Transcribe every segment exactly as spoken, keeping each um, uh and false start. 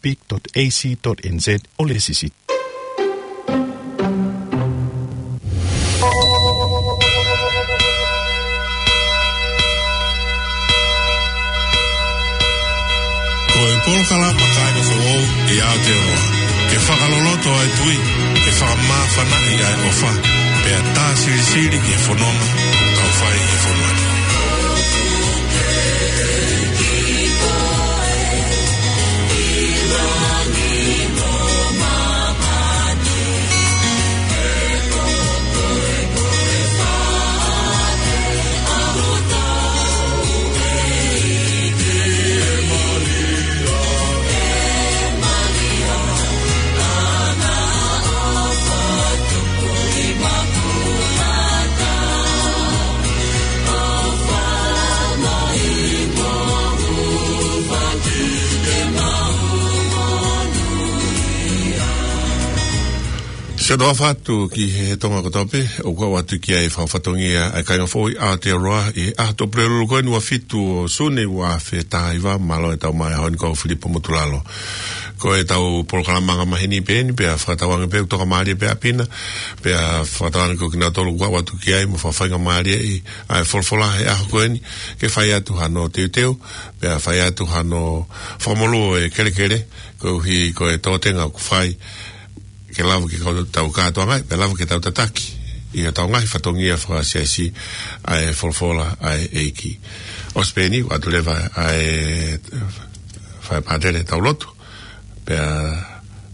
pic dot A C dot N Z ʻo lēsisita. Ko e polokalama kāinga foʻou ʻi Aotearoa, ke fakaloloto ʻa e tui, ke fakamāfanaʻi ʻa e ʻofa, pea tā silisili ki he fononga ʻoku tau fai ʻi he fonua ni. Siʻoto ʻofa atu ki he Tonga kotoa pē, ʻoku ʻoatu ki ai e fakafatongia ʻa e kāinga foʻou ʻi Aotearoa ʻi he ʻaho Tuʻapulelulu ko eni ua fitu ʻo Sune ua afe taha hiva, mālō e tau mai ʻaho ni, ko au Filipo Motulalo. Ko e tau polokalama anga maheni pē eni, pea fakatauange pē ʻoku toka mālie pē ʻapi na, pea fakatauange ko kinautolu ʻoku ʻoatu ki ai mo fakafaingamālieʻi ʻa e folofola he ʻaho ko eni, ke fai atu hano teuteu, pea fai atu hano fakamolū e kelekele, koeʻuhi ko e tōtenga ʻoku fai, ke lava ke kau tau kātoangaʻi, pea lava ke tau tataki ʻi hotau ngaahi fatongia fakasiasi ʻa e folofola ʻa e ʻEiki. ʻOsi pē eni, ʻoatu leva ʻa e fai pātele tau lotu, pea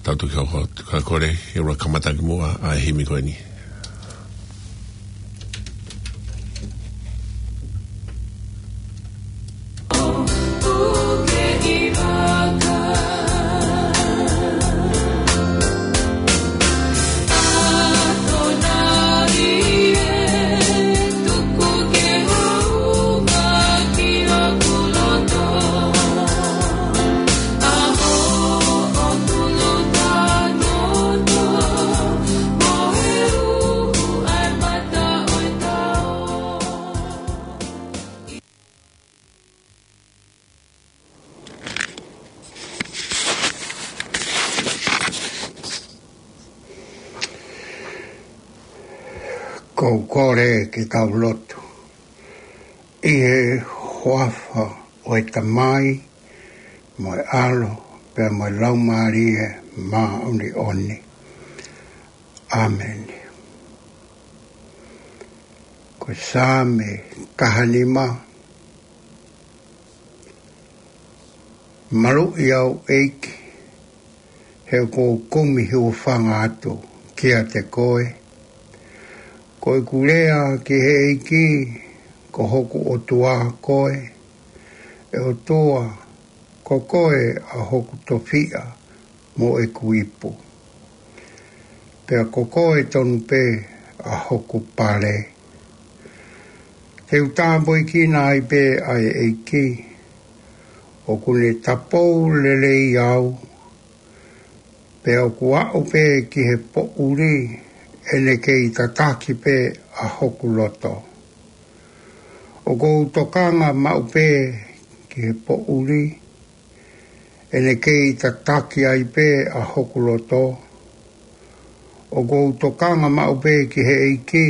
tau tuki hoko atu, ka kole ke ʻoua kamata kimuʻa ʻa e himi ko eni. Ko u kole ke tau lotu. ʻI he huafa ʻo e Tamai, mo e ʻAlo, pea mo e Laumālie Māʻoniʻoni. ʻĀmeni. Ko e Saame taha nima. Maluʻi au, ʻEiki, he ʻoku ou kumi hūfanga atu kiate koe. Ko ʻeku lea ki he ʻEiki, ko hoku ʻOtua koe, ʻe ʻOtua, ko koe ʻa hoku tofiʻa mo ʻeku ipu. Pea ko koe tonu pē ʻa hoku pale. Te u tāpuekina ai pē ʻa e ʻEiki, ʻoku ne tapou lelei au, pea ʻoku aʻu pē ki he poʻuli, ʻe ne kei tataki pē ʻa hoku loto. ʻOku ou tokanga maʻu pē ki he poʻuli, ʻe ne kei tataki ai pē ʻa hoku loto. ʻOku ou tokanga maʻu pē ki he ʻEiki,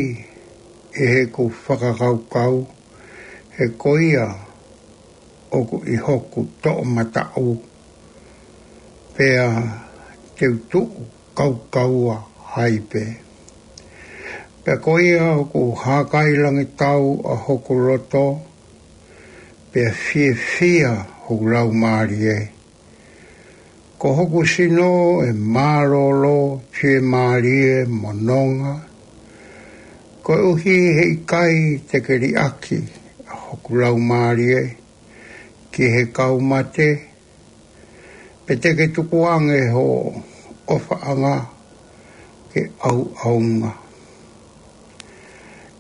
ʻi heʻeku fakakaukau, he ko ia ʻoku ʻi hoku toʻomataʻu, pea te u tuʻu kaukaua ai pē. Pea ko ia ʻoku hākailangitau ʻa hoku loto, pea fiefia hoku laumālie. Ko hoku sino ʻe mālōlō fiemālie mo nonga, koeʻuhi he ʻikai te ke liʻaki ʻa hoku laumālie ki he kau mate, pe te ke tukuange ho ʻofaʻanga ke ʻauʻaunga.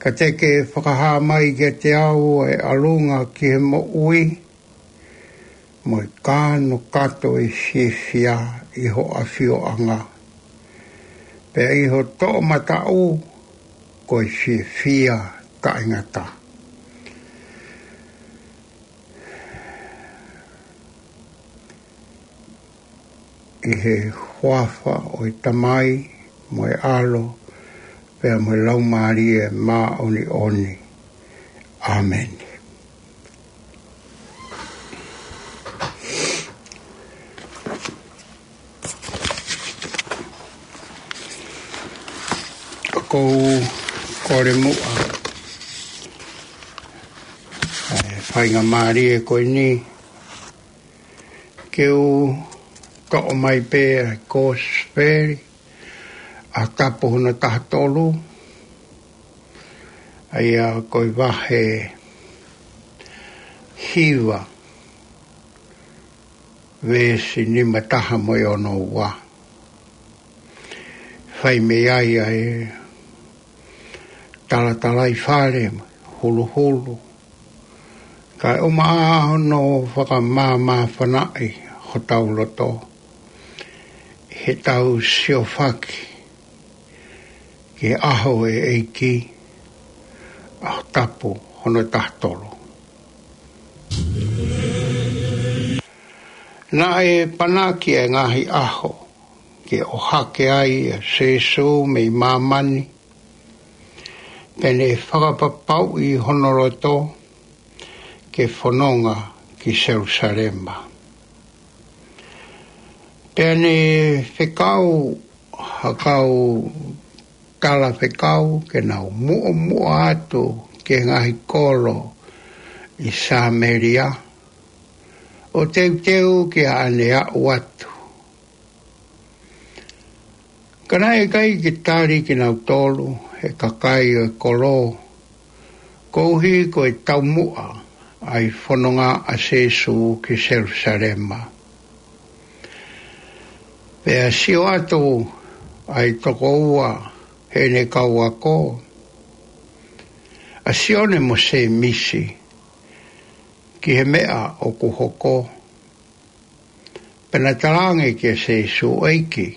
Ka te ke fakahā mai kiate au e ʻalunga ki he moʻui, mo e kanokato ʻe fiefia ʻi ho ʻafioʻanga. Pea ʻi ho toʻomataʻu ko e fiefia taʻengata. ʻI he huafa ʻo e Tamai, mo e ʻAlo, pea mo e Laumālie Māʻoniʻoni. ʻĀmeni. ʻOku ou kole muʻa ʻa e faingamālie ko eni ke u toʻo mai pē ʻa e Kosipeli ʻa Tapu hono taha tolu, ʻa ia ko e vahe hiva, veesi nima taha mo e ono ua. Fai mei ai ʻa e talatalaifale, huluhulu, kae ʻumaʻā hono fakamāmāfanaʻi hotau loto ʻi heʻetau siofaki ki he ʻaho ʻo e ʻEiki, ʻaho Tapu hono taha tolu. Naʻe panaki ʻa e ngaahi ʻaho ke ʻohake ai ʻa Sīsū mei māmani, pea ne fakapapauʻi hono loto ke fononga ki Selusalema. Pea ne fekau ha kau talafekau ke nau muʻomuʻa atu ki he ngaahi kolo ʻi Samēlia, ʻo teuteu ki haʻane aʻu atu. Ka naʻe ʻikai ke tali kinautolu ʻe he kakai ʻo e kolo, koeʻuhi ko e taumuʻa ʻa e fononga ʻa Sīsū ki Selusalema. Pea sio atu ʻa e toko ua heʻene kau ako, ʻa Sione mo Sēmisi, ki he meʻa ʻoku hoko. Pea na talaange kia Sīsū, ʻEiki,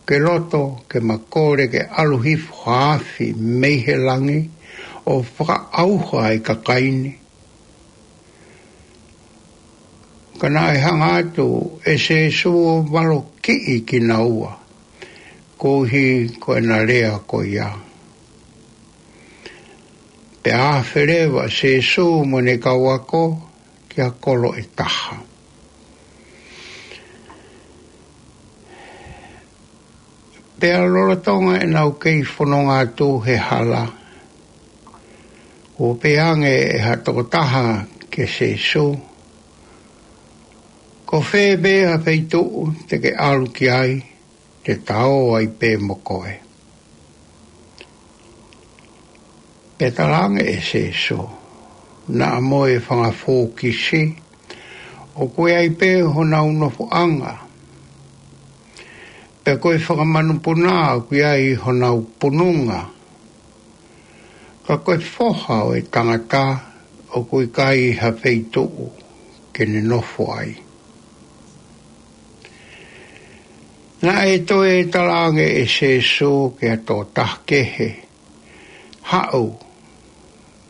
ke loto ke ma kole ke ʻalu hifo ha afi mei he langi ʻo fakaʻauha ʻa e kakai ni? Ka naʻe hanga atu ʻe Sīsū ʻo valokiʻi kinaua koeʻuhi ko ʻena lea ko ia. Pea afe leva ʻa Sīsū mo ʻene kau ako ki ha kolo ʻe taha. Pea lolotonga ʻenau kei fononga atu he hala, kuo pehē ange ʻe ha tokotaha kia Sīsū, Ko fē pē ha feituʻu te ke ʻalu ki ai, te ta ō ai pē mo koe? Pea talaange ʻe Sīsū, Naʻa mo e fanga fōkisi ʻoku ʻi ai pē honau nofoʻanga, pea ko e fanga manupuna ʻoku ʻi ai honau pununga, ka ko e Foha ʻo e Tangata ʻoku ʻikai ha feituʻu ke ne nofo ai. Naʻe toe talaange ʻe Sīsū ki ha tokotaha kehe, Haʻu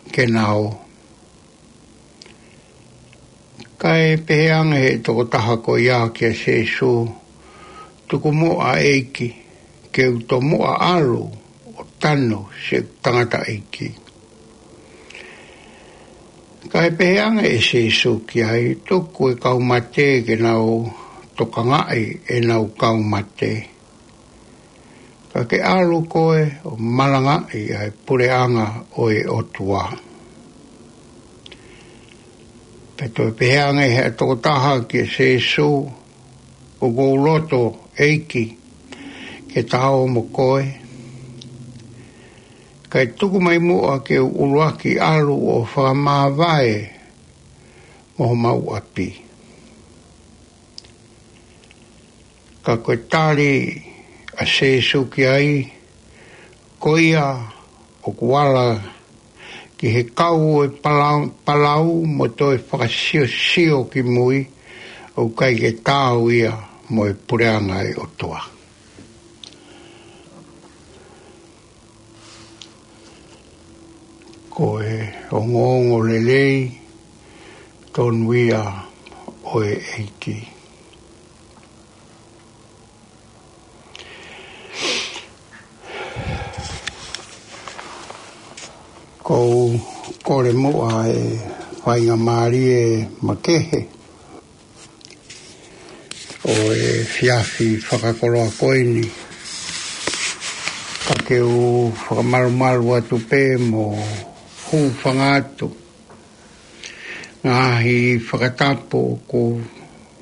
ke na ō. Kae pehē ange ʻe he tokotaha ko ia kia Sīsū, Tuku muʻa ʻEiki, ke u tomuʻa ʻalu ʻo tanu siʻeku tangataʻeiki. Kae pehē ange ʻe Sīsū ki ai, Tuku e kau mate ke nau tokangaʻi ʻenau kau mate, ka ke ʻalu koe ʻo malangaʻi ʻa e puleʻanga ʻo e ʻOtua. Pea toe pehē ange ʻe he tokotaha kia Sīsū, ʻOku ou loto, ʻEiki, ke ta ō mo koe, kae tuku mai muʻa ke u ʻuluaki ʻalu ʻo fakamāvae mo homau ʻapi. Ka ko e tali ʻa Sīsū ki ai, Ko ia ʻoku ala ki he kau ʻo e palau, palau mo toe fakasiosio ki mui, ʻoku ʻikai ke taau ia mo e puleʻanga ʻo e ʻOtua. Ko e ongoongolelei tonu ia ʻo e ʻEiki. ʻOku ou kole muʻa e faingamālie makehe ʻo e efiafi fakakoloa ko eni, ka ke u fakamalumalu atu pē mo hūfanga atu ngaahi fakatapu ʻoku ou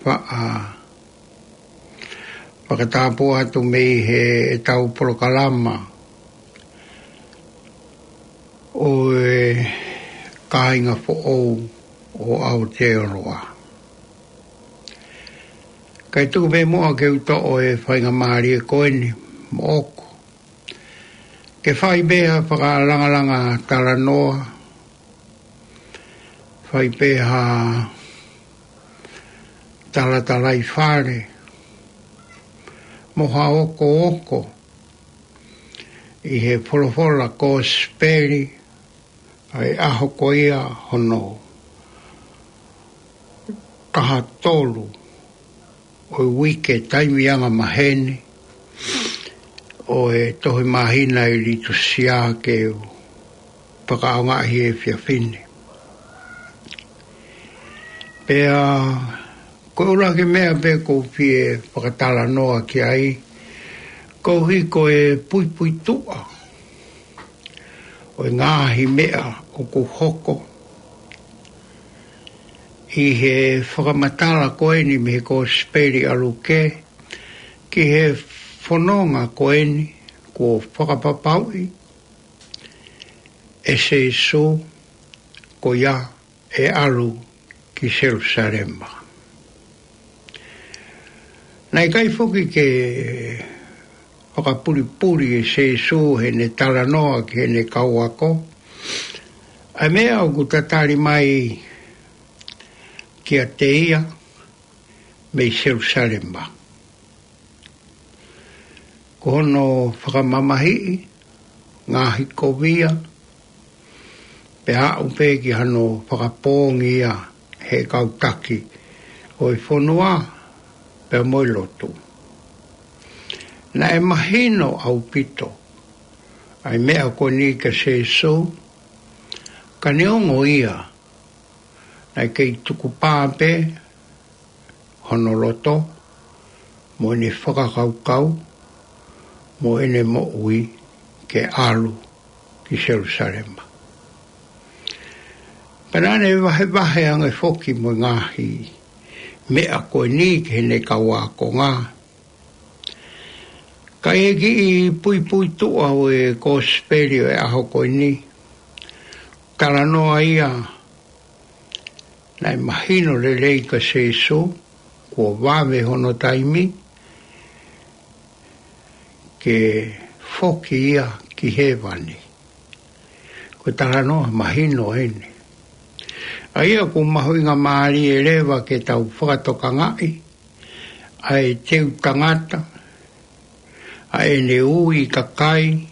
faʻa fakatapu atu mei heʻetau polokalama ʻo e kāinga foʻou ʻo Aotearoa. Kae tuku pē muʻa ke u toʻo e faingamālie ko eni moʻoku ke fai pē ha fakalangalanga talanoa, fai pē ha talatalaifale mo ha okooko ʻi he folofola kosipeli ʻa e ʻaho ko ia hono taha tolu ʻo e uike taimi angamaheni ʻo e tohi māhina ʻi Litusia ke u fakaʻaongaʻi he efiafi ni. Pea ko e ʻuluaki meʻa pē ʻoku ou fie fakatalanoa ki ai, koeʻuhi ko e puipuituʻa ʻo e ngaahi meʻa ʻoku hoko ʻi he fakamatala ko eni mei he kosipeli ʻa Luke ki he fononga ko eni kuo fakapapauʻi ʻe Sēsū ko ia ʻe ʻalu ki Selusalema. Naʻe ʻikai foki ke fakapulipuli ʻe Sēsū heʻene talanoa ki heʻene kau ako ʻa e meʻa ʻoku tatali mai kiate ia mei Selusalema. Ko hono fakamamahiʻi ngaahi kovia, pea aʻu pē ki hano fakapoongi ia he kau taki ʻo e fonua pea mo e lotu. Naʻe mahino ʻaupito ʻa e meʻa ko eni kia Sēsū, ka neongo ia, naʻe kei tukupā pē hono loto mo ʻene fakakaukau mo ʻene moʻui ke ʻalu ki Selusalema. Pea naʻa ne vahevahe ange foki mo e ngaahi meʻa ko eni ki heʻene kau ākonga. Ka ʻi he kiʻi puipuituʻa ʻo e kosipeli ʻo e ʻaho ko eni, talanoa ia naʻe mahino lelei kia Sēsū kuo vave hono taimi ke foki ia ki hēvani. Ko e talanoa mahino eni. ʻA ia ʻoku mahuʻingamālie leva ke tau fakatokangaʻi ʻa e teu tangata, ʻa ʻene ui kakai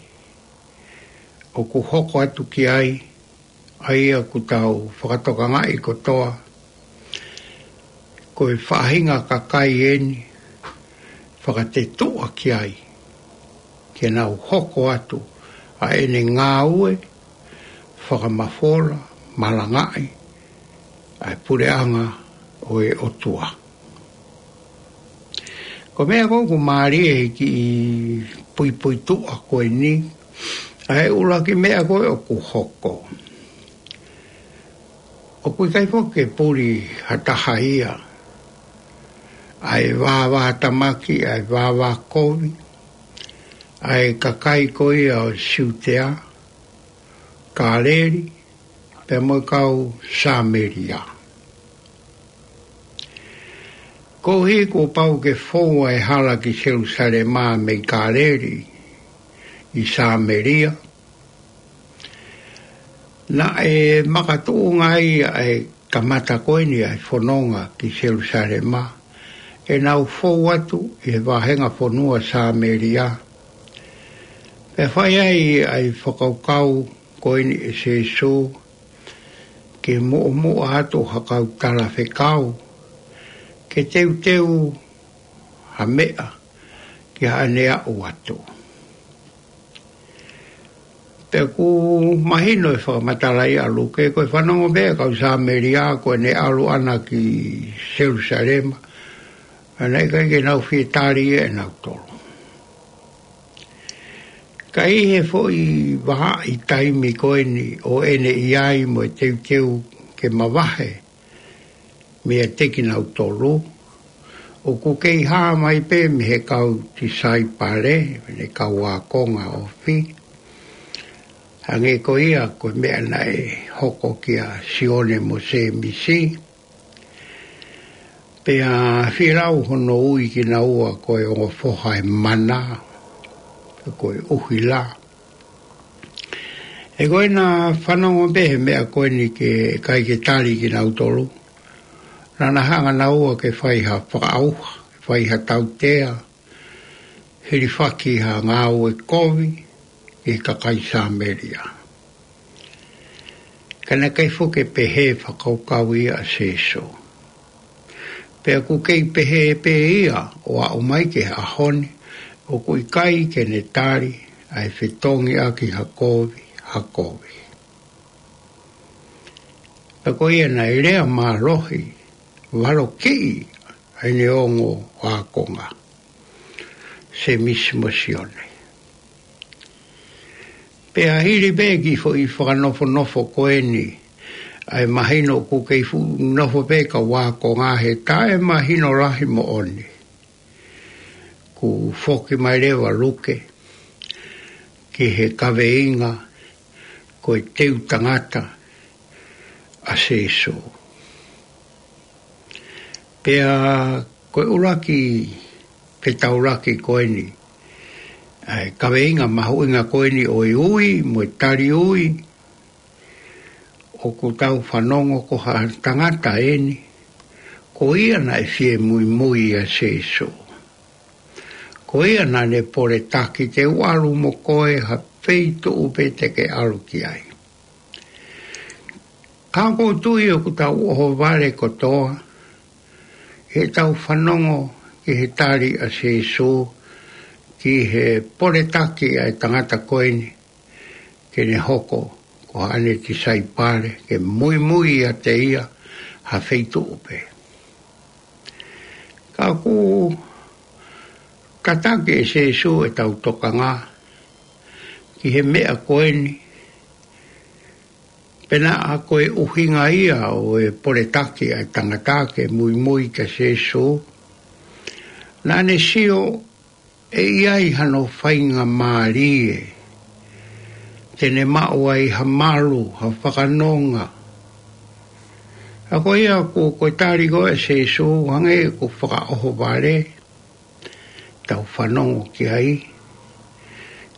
ʻoku hoko atu ki ai, ʻa ia ʻoku tau fakatokangaʻi kotoa ko e faʻahinga kakai eni fakatetuʻa ki ai ke nau hoko atu ʻa ʻene ngāue fakamafola malangaʻi ʻa e puleʻanga ʻo e ʻOtua. Ko e meʻa ko ē ʻoku mālie he kiʻi puipuituʻa ko eni, ʻa e ʻuluaki meʻa ko ē ʻoku hoko, ʻoku ʻikai foki ke puli ha taha ia, ʻa e vāvātamaki, ʻa e vāvākovi, ʻa e kakai ko ia ʻo Siutea, Kāleli, pea mo e kau Sāmelia. Koeʻuhi kuo pau ke fou ʻa e hala ki Selusalema mei Kāleli ʻi Sāmelia, naʻe makatuʻunga ai ʻa e kamata ko eni ʻa e fononga ki Selusalema, ʻenau fou atu ʻi he vāhenga fonua Sāmelia. Pea fai ai ʻa e fakakaukau ko eni ʻe Sēsū ke muʻomuʻa atu ha kau talafekau ke teuteu ha meʻa ki haʻane aʻu atu. Pea ʻoku mahino ʻe he fakamatala ʻa Luke, ko e fanongo pē ʻa e kau Sāmelia ko ʻene ʻalu ʻana ki Selusalema, ʻa ia naʻe ʻikai ke nau fie tali ʻe nautolu. Ka ʻi he foʻi vahaʻa ʻi he taimi ko eni ʻo ʻene ʻi ai mo e teuteu ke mavahe meiate kinautolu, ʻoku kei hā mai pē mei he kau tisaipale, mei he kau ākonga ofi, hangē ko ia ko e meʻa naʻe hoko kia Sione mo Sēmisi. Pea fie lau hono ui kinaua ko e ongo foha ʻo e mana, ko e ʻuhila. He ko ʻena fanongo pē he meʻa ko eni ke ʻikai ke tali kinautolu, naʻa na hanga naua ke fai ha fakaʻauha, ke fai ha tautea, hilifaki ha ngāue kovi ki he kakai Sāmelia. Ka naʻe ʻikai foki ke pehē fakakaukau ia ʻa Sēsū. Pea ʻoku kei pehē pē ia ʻo aʻu mai ki he ʻaho ni, ʻoku ʻikai ke ne tali ʻa e fetongi ʻaki ha kovi ha kovi. Pea ko ia naʻe lea mālohi, valokiʻi ʻa ʻene ongo ākonga, Sēmisi mo Sione. Pea hili pē ki he foʻi fakanofonofo ko eni, ʻa ia mahino ʻoku kei fuʻu nofo pē kau ākonga he taʻemahino lahi moʻoni. Kuo foki mai leva ʻa Luke ki he kaveinga ko e teu tangata ʻa Sēsū. Pea ko e ʻuluaki fetaulaki ko eni, ʻa e kaveinga mahuʻinga ko eni ʻo e ui mo e tali ui, ʻoku tau fanongo ko ha tangata eni, ko ia naʻe fie muimui ʻia Sēsū. Ko ia naʻa ne poletaki, te u ʻalu mo koe ha feituʻu pē te ke ʻalu ki ai. Ka ʻoku ou tui ʻoku tau ʻohovale kotoa, he tau fanongo ki he tali ʻa Sēsū, ki he poletaki ʻa e tangata ko eni, ke ne hoko ko haʻane tisaipale, ke muimui ʻiate ia ha feituʻu pē. Ka ʻoku tataki ʻe Sēsū ʻetau tokanga ki he meʻa ko eni, pea naʻa ko e ʻuhinga ia ʻo e poletaki ʻa e tangata ke muimui kia Sēsū, naʻa ne sio ʻe ʻi ai hano faingamālie te ne maʻu ai ha malu, ha fakanonga. Ka ko ia ʻoku, ko e tali ko ē ʻa Sēsū, hangē ʻoku fakaʻohovale, tau fanongo ki ai.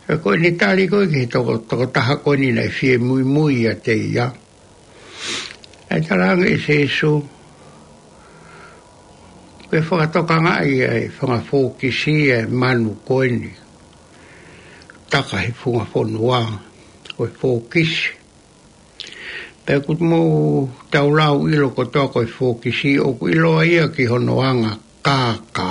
Ka ko ʻene tali ko ē ki he toko, tokotaha ko eni naʻe fie muimui ʻiate ia, ʻa e talaange ʻe Sēsū, ke fakatokangaʻi ʻa e fanga fōkisi ʻa e manu ko eni, taka he funga fonua, ko e fōkisi. Pea ʻoku mou tau lau ʻilo kotoa ko e fōkisi, ʻoku ʻiloa ia ki hono anga kākā.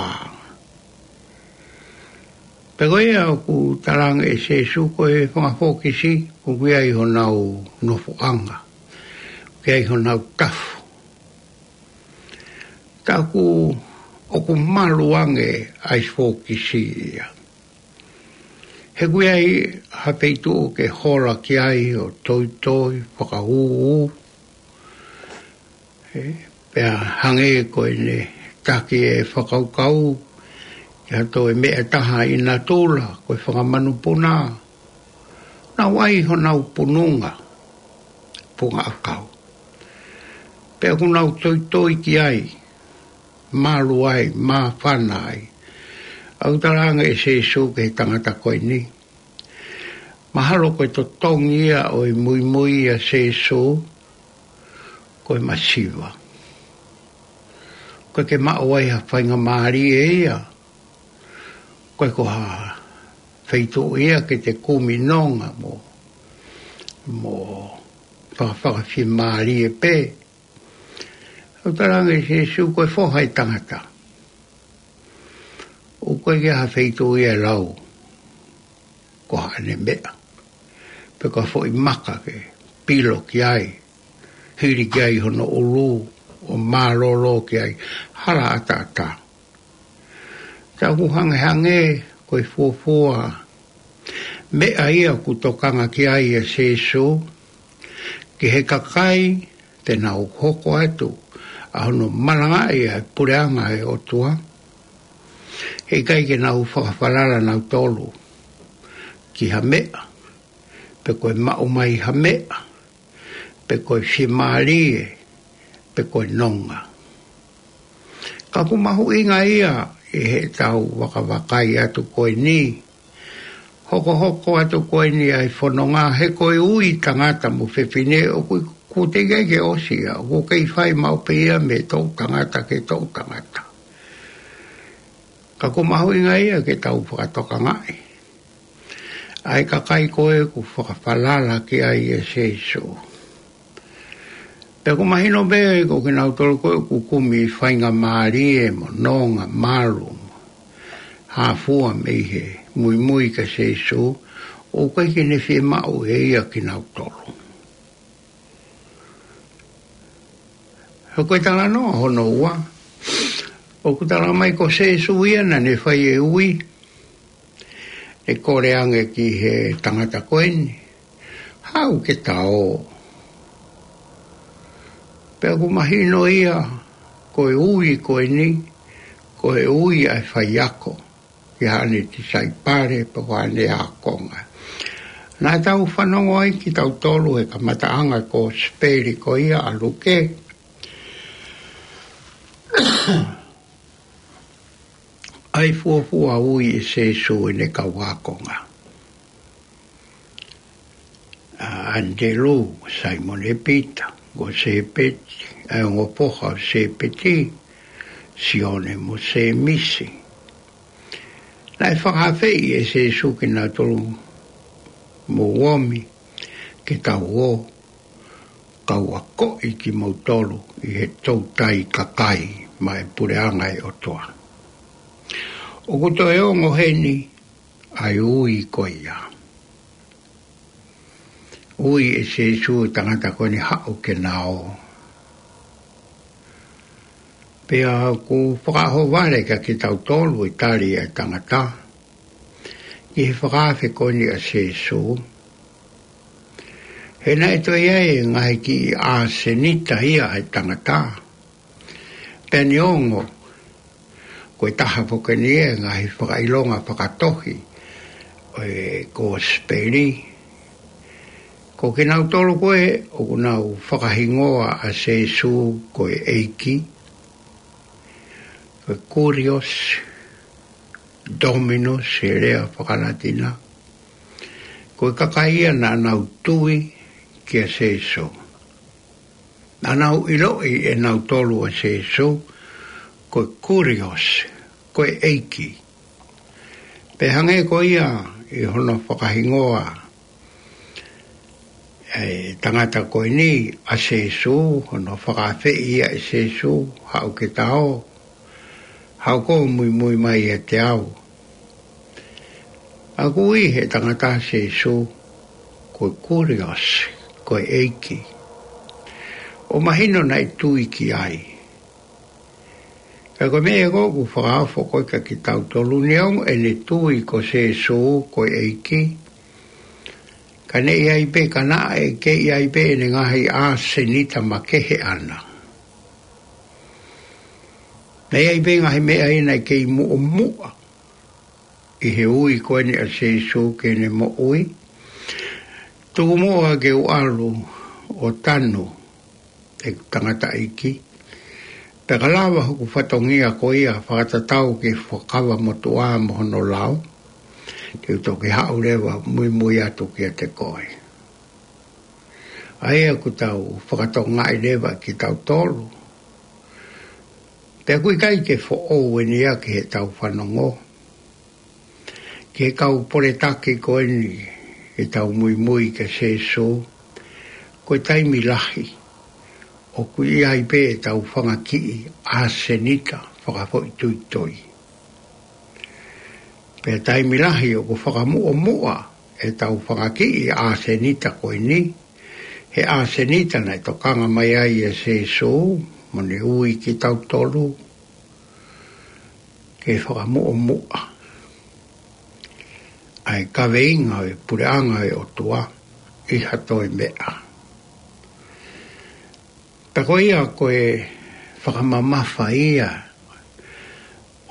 Pea ko ia ʻoku talaange ʻe Sēsū ko e fanga fōkisi, ʻoku ʻi ai honau nofoʻanga, ʻoku ʻi ai honau tafu. Ka ʻoku, ʻoku malu ange ʻa e fōkisi ia. He ʻoku ʻi ai ha feituʻu ke hola ki ai ʻo toitoi, fakaūū. Ē, pea hangē ko ʻene taki ʻe fakakaukau ki ha toe meʻa ʻe taha ʻi natula, ko e fanga manupuna. Nau ʻai honau pununga, punga ʻakau. Pea ʻoku nau toitoi ki ai, malu ai, māfana ai. ʻOku talaange ʻe Sēsū ki he tangata ko eni, mahalo ko e totongi ia ʻo e muimui ʻia Sēsū, ko e masiva. ʻOku ʻikai ke maʻu ai ha faingamālie ia. ʻOku ʻikai ko ha feituʻu ia ke te kumi nonga mo, mo fakafakafiemālie pē. ʻOku talaange ʻe Sēsū ko e Foha ʻo e tangata, ʻoku ʻikai ke ʻi ai ha feituʻu ia ʻe lau ko haʻane meʻa. pe ko ha foʻi maka ke pilo ki ai, hili ki ai hono ʻulu, ʻo mālōlō ki ai, hala ʻataʻatā. Ka ʻoku hangehangē ko e fuofua meʻa ia ʻoku tokanga ki ai ʻa Sīsū, ki he kakai te nau hoko atu ʻa hono malangaʻi ʻa e puleʻanga ʻo e ʻOtua, heʻikai ke nau fakafalala nautolu ki ha meʻa, pe ko e maʻu mai ha meʻa, pe ko e fiemālie, pe ko e nonga. Ka ʻoku mahuʻinga ia ʻi heʻetau vakavakai atu ko eni, hokohoko atu ko eni ʻa e fononga, he ko e ui tangata mo fefine ʻoku, ʻoku teʻeki ai ke ʻosi ia, ʻoku kei fai maʻu pē ia mei he toʻutangata ki he toʻutangata. Ka ʻoku mahuʻinga ia ke tau fakatokangaʻi ʻa e kakai ko ē ʻoku fakafalala ki ai ʻa Sīsū. Pea ʻoku mahino pē ko kinautolu ko ē ʻoku kumi faingamālie mo nonga malu, hā fua mei he muimui kia Sīsū, ʻoku ʻikai ke ne fiemaʻu ʻe ia kinautolu. He ko e talanoa hono ua, ʻoku tala mai ko Sīsū ia naʻa ne fai e ui, ʻe kole ange ki he tangata ko eni, haʻu ke ta ō. Pea ʻoku mahino ia, ko e ui ko eni, ko e ui ʻa e faiako ki haʻane tisaipale, pe ko haʻane ākonga. Naʻa tau fanongo ai kitautolu he kamataʻanga ko e kosipeli ko ia ʻa Luke, ʻa e fuofua ui ʻe Sīsū ʻene kau ākonga. ʻA ʻAnitelū, Saimone Pita, ko Sēpeti, ʻa e ongo foha ʻo Sēpeti, Sione mo Sēmisi. Naʻe fakaafeʻi ʻe Sīsū kinautolu, mou omi, ke tau ō, kau akoʻi kimoutolu ʻi he toutai kakai maʻa e puleʻanga ʻo e ʻOtua. ʻOku toe ongo heni ʻa e ui ko ia. Ui ʻe Sīsū e tangata ko eni haʻu ke na ō. Pea ʻoku fakaʻohovale kia kitautolu e tali ʻa e tangata ki he fakaafe ko eni ʻa Sīsū. He naʻe toe ʻi ai e ngaahi kiʻi ʻāsenita ia ʻa e tangata. Pea neongo ko e taha foki eni e ngaahi fakaʻilonga fakatohi ʻo e kosipeli, ko kinautolu ko ē ʻoku nau fakahingoa ʻa Sīsū ko e ʻEiki, ko e Kurios, Dominos he lea faka-Latina, ko e kakai ia naʻa nau tui kia Sīsū. Naʻa nau ʻiloʻi ʻe nautolu ʻa Sīsū ko e Kurios, ko e ʻEiki. Pea hangē ko ia ʻi hono fakahingoa e tangata ko eni ʻa Sīsū, hono fakaafeʻi ia ʻe Sīsū, haʻu ke ta ō, haʻu koe ʻo muimui mai ʻiate au. ʻOku ui he tangata ʻa Sīsū ko e Kurios, ko e ʻEiki. ʻOku mahino naʻe tui ki ai. Ka ko e meʻa ko ē ʻoku fakaofo ko ē kia kitautolu, neongo ʻene tui ko Sīsū ko e ʻEiki, ka naʻe ʻi ai pē, ka naʻe kei ʻi ai pē ʻene ngaahi ʻāsenita makehe ʻana. Naʻe ʻi ai pē ngaahi meʻa ia naʻe kei muʻomuʻa ʻi he ui ko eni ʻa Sīsū ki heʻene moʻui. Tuku muʻa ke u ʻalu ʻo tanu ʻeku tangataʻeiki. Pea ka lava hoku fatongia ko ia fakatatau ki he Fuakava Motuʻa mo hono lao, te u toki haʻu leva muimui atu kiate koe. ʻA ia ʻoku tau fakatokangaʻi leva kitautolu. Pea ʻoku ʻikai ke foʻou eni ia ki heʻetau fanongo ki he kau poletaki ko eni ʻetau muimui kia Sīsū, ko e taimi lahi ʻoku ʻi ai pē ʻetau fanga kiʻi ʻāsenita fakafoʻituitui. Pea taimi lahi ʻoku fakamuʻomuʻa ʻetau fanga kiʻi ʻāsenita ko eni, he ʻāsenita naʻe tokanga mai ai ʻa Sēsū, mo ne ui kitautolu ke fakamuʻomuʻa ʻa e kaveinga ʻo e puleʻanga ʻo e ʻOtua ʻi ha toe meʻa. Pea ko ia ko e fakamamafa ia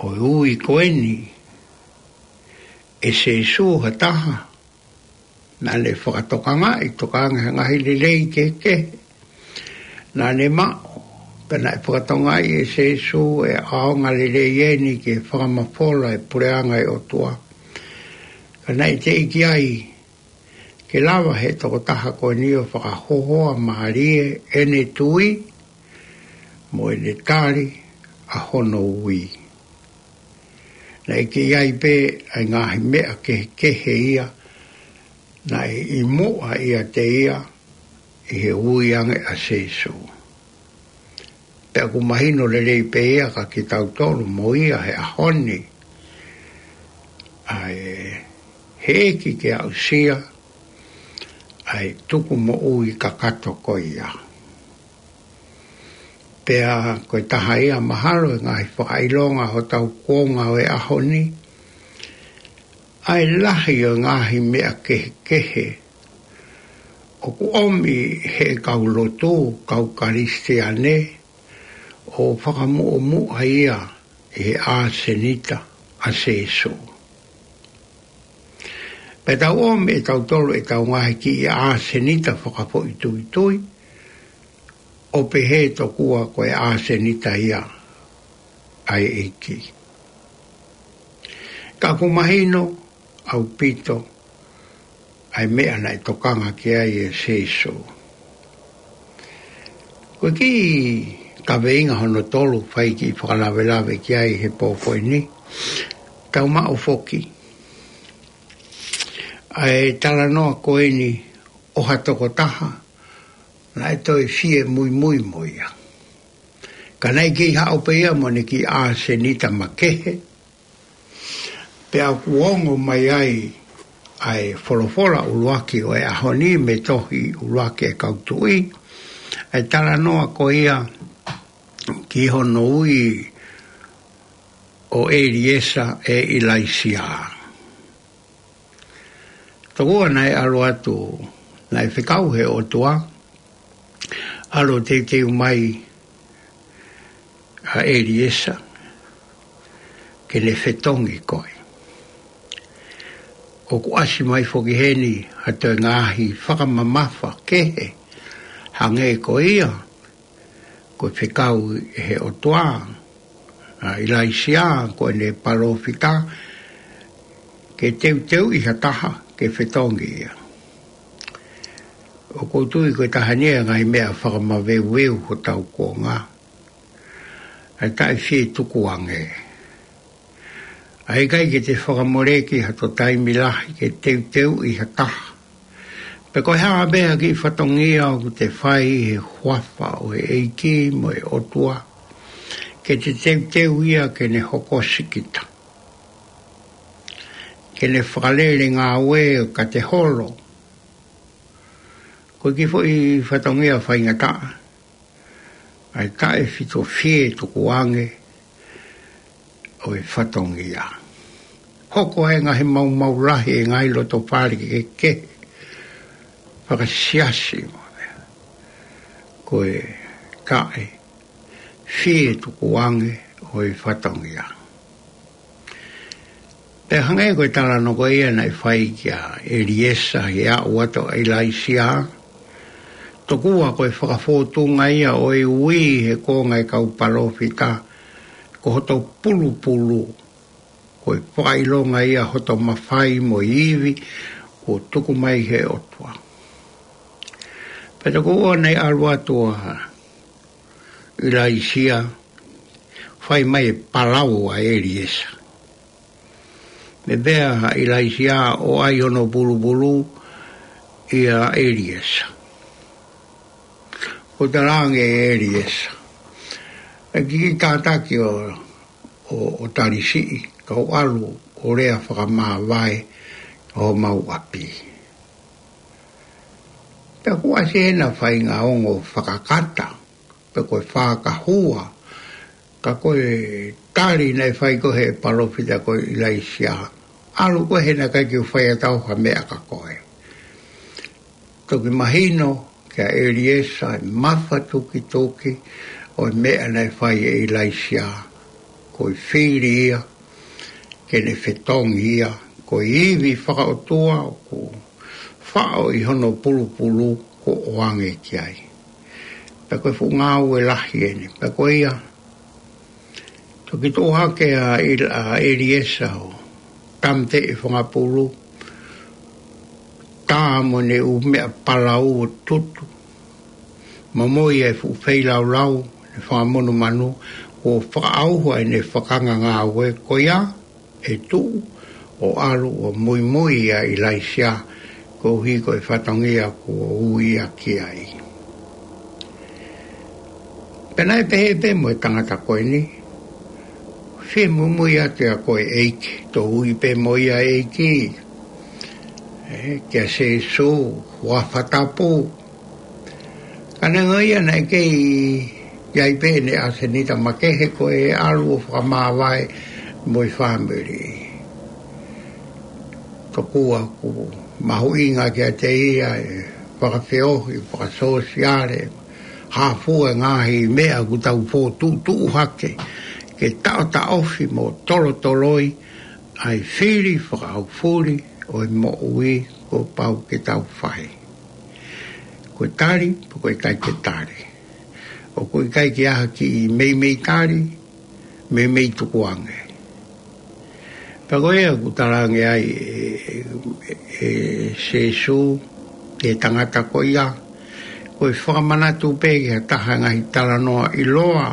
ʻo e ui ko eni ʻe Sēsū ha taha naʻa ne fakatokangaʻi, tokanga he ngaahi lelei kehekehe naʻa ne maʻu, pea naʻe fakatokangaʻi ʻe Sēsū ʻe ʻaonga lelei eni ke fakamafola e puleʻanga ʻo e ʻOtua. Ka naʻe teʻeki ai ke lava he tokotaha ko eni ʻo fakahohoa mālie ʻene tui mo ʻene tali ʻa hono ui. Naʻe kei ʻi ai pē ʻa e ngaahi meʻa kehekehe ia naʻe ʻi muʻa ʻiate ia ʻi he ui ange ʻa Sēsū. Pea ʻoku mahino lelei pē ia kia kitautolu mo ia he ʻaho ni, ʻa e heʻeki ke aʻusia ʻa e tukumoʻui kakato ko ia. Pea ko e taha ia mahalo e ngaahi fakaʻilonga hotau kuonga ʻo e ʻaho ni, ʻa e lahi ʻo e ngaahi meʻa kehekehe ʻoku ʻomi he kau lotu, kau Kalisitiane, ʻo fakamuʻomuʻa ia ʻi he ʻāsenita ʻa Sēsū. Pea tau ʻomi ʻe tautolu ʻetau ngaahi kiʻi ʻāsenita fakafoʻituitui, ʻo pehē tokua ko e ʻāsenita ia ʻa e ʻEiki. Ka ʻoku mahino ʻaupito ʻa e meʻa naʻe tokanga ki ai ʻa Sēsū. Ko e kiʻi kaveinga hono tolu fai kiʻi fakalavelave ki ai he pō ko eni, tau maʻu foki ʻa e talanoa ko eni ʻo ha tokotaha naʻe toe fie muimui mo ia. Ka naʻe kei haʻu pē ia mo ʻene kiʻi ʻāsenita makehe, pea ʻoku ongo mai ai ʻa e folofola ʻuluaki ʻo e ʻaho ni mei he tohi ʻuluaki ʻa e kau tuʻi, ʻa e talanoa ko ia ki hono ui ʻo ʻEliesa ʻe ʻIlaisiā. Tokua naʻe ʻalu atu, naʻe fekau he ʻOtua, ʻalu ʻo teuteu mai ʻa ʻEliesa ke ne fetongi koe. ʻOku ʻasi mai foki heni ha toe ngaahi fakamamafa kehe, hangē ko ia ko e fekau ʻe he ʻOtua ʻa ʻIlaisiā ko ʻene palōfita ke teuteuʻi ha taha ke fetongi ia. ʻOku ou tui ko e taha eni ʻa e ngaahi meʻa fakamaveuveu hotau kuonga, ʻa e taʻe fie tukuange. ʻA e ʻikai ke te fakamoleki ha toe taimi lahi ke teuteuʻi ha taha. Pe ko e hā pē ha kiʻi fatongia ʻoku te fai he huafa ʻo e ʻEiki mo e ʻOtua, ke te teuteu ia ke ne hokosi kita, ke ne fakalele ngāue ka te holo. Ko e kiʻi foʻi fatongia faingataʻa ʻa e taʻe fito fie tukuange ʻo e fatongia. Hoko ai e ngaahi maumau lahi, e ngaahi loto fale kehekehe, fakasiasi mo e meʻa, ko e taʻe fie tukuange ʻo e fatongia. Pea hangē ko e talanoa ko ia naʻe fai kia ʻEliesa he aʻu atu ʻa ʻIlaisiā, tokua ko e fakafōtunga ia ʻo e ui he konga e kau palōfita, ko hoto pulupulu, ko e fakaʻilonga ia hoto mafai mo e ivi kuo tuku mai he ʻOtua. Pea tokua naʻe ʻalu atu ʻa ʻIlaisiā, fai mai e palau ʻa ʻEliesa. Pea pehē ʻa ʻIlaisiā ʻo ʻai hono pulupulu ʻia ʻEliesa. ʻO talaange ʻe ʻEliesa, ʻe kiʻi kātaki ʻo, ʻo, ʻo talisiʻi, kau ʻalu ʻo lea fakamāvae, homau ʻapi. Pea kuo ʻasi ʻena faʻahinga ongo fakakata, pe ko e fakahua, ka ko e tali naʻe fai ko ē ʻe he palōfita ko ʻIlaisiā. ʻAlu koe he naʻe ʻikai ke u fai atu au ha meʻa kia koe. Toki mahino kia ʻEliesa e mafatukituki ʻo e meʻa naʻe fai ʻe ʻIlaisiā. Ko e fili ia, ke ne fetongi ia, ko e ivi fakaʻotua ʻoku faʻo ʻi hono pulupulu kuo ʻoange ki ai. Pea ko e fuʻu ngāue lahi ʻeni. Pea ko ia, toki tuʻu hake ʻa ʻIl-, ʻa ʻEliesa ʻo tāmateʻi e fanga pulu, tā mo ʻene ʻū meʻa palau ʻo tutu, momoi e fuʻu feilaulau, ʻene fanga monumanu, kuo fakaʻauha ʻene fakangāue ko ia, ʻe tuʻu ʻo ʻalu ʻo muimui ʻa ʻIlaisiā, koeʻuhi ko e fatongia kuo ui ia ki ai. Pea naʻe pehē pē mo e tangata ko eni, fie muimui atu ia ko e ʻEiki, tau ui pē mo ia ʻEiki. ʻE, kia Sēsū, huafa tapu. Ka neongo ia naʻe kei ʻi ai pē ʻene ʻasenita makehe ko e ʻalu ʻo fakamāvae mo e fāmili. Tokua ʻoku mahuʻinga kiate ia e fakafeohi, fakasōsiale, hā fua e ngaahi meʻa ʻoku tau fokotuʻutuʻu hake, ke taʻotaʻofi mo tolotoloi ʻa e fili fakaʻaufuli ʻo e moʻui kuo pau ke tau fai. Ko e tali, pe ko e ʻikai ke tali. ʻOku ʻikai ke ʻi ai ha kiʻi meimei tali, meimei tukuange. Pea ko ia ʻoku talaange ai ʻe, ʻe, ʻe Sēsū ki he tangata ko ia, ko e fakamanatu pē ki ha taha e ngaahi talanoa ʻiloa,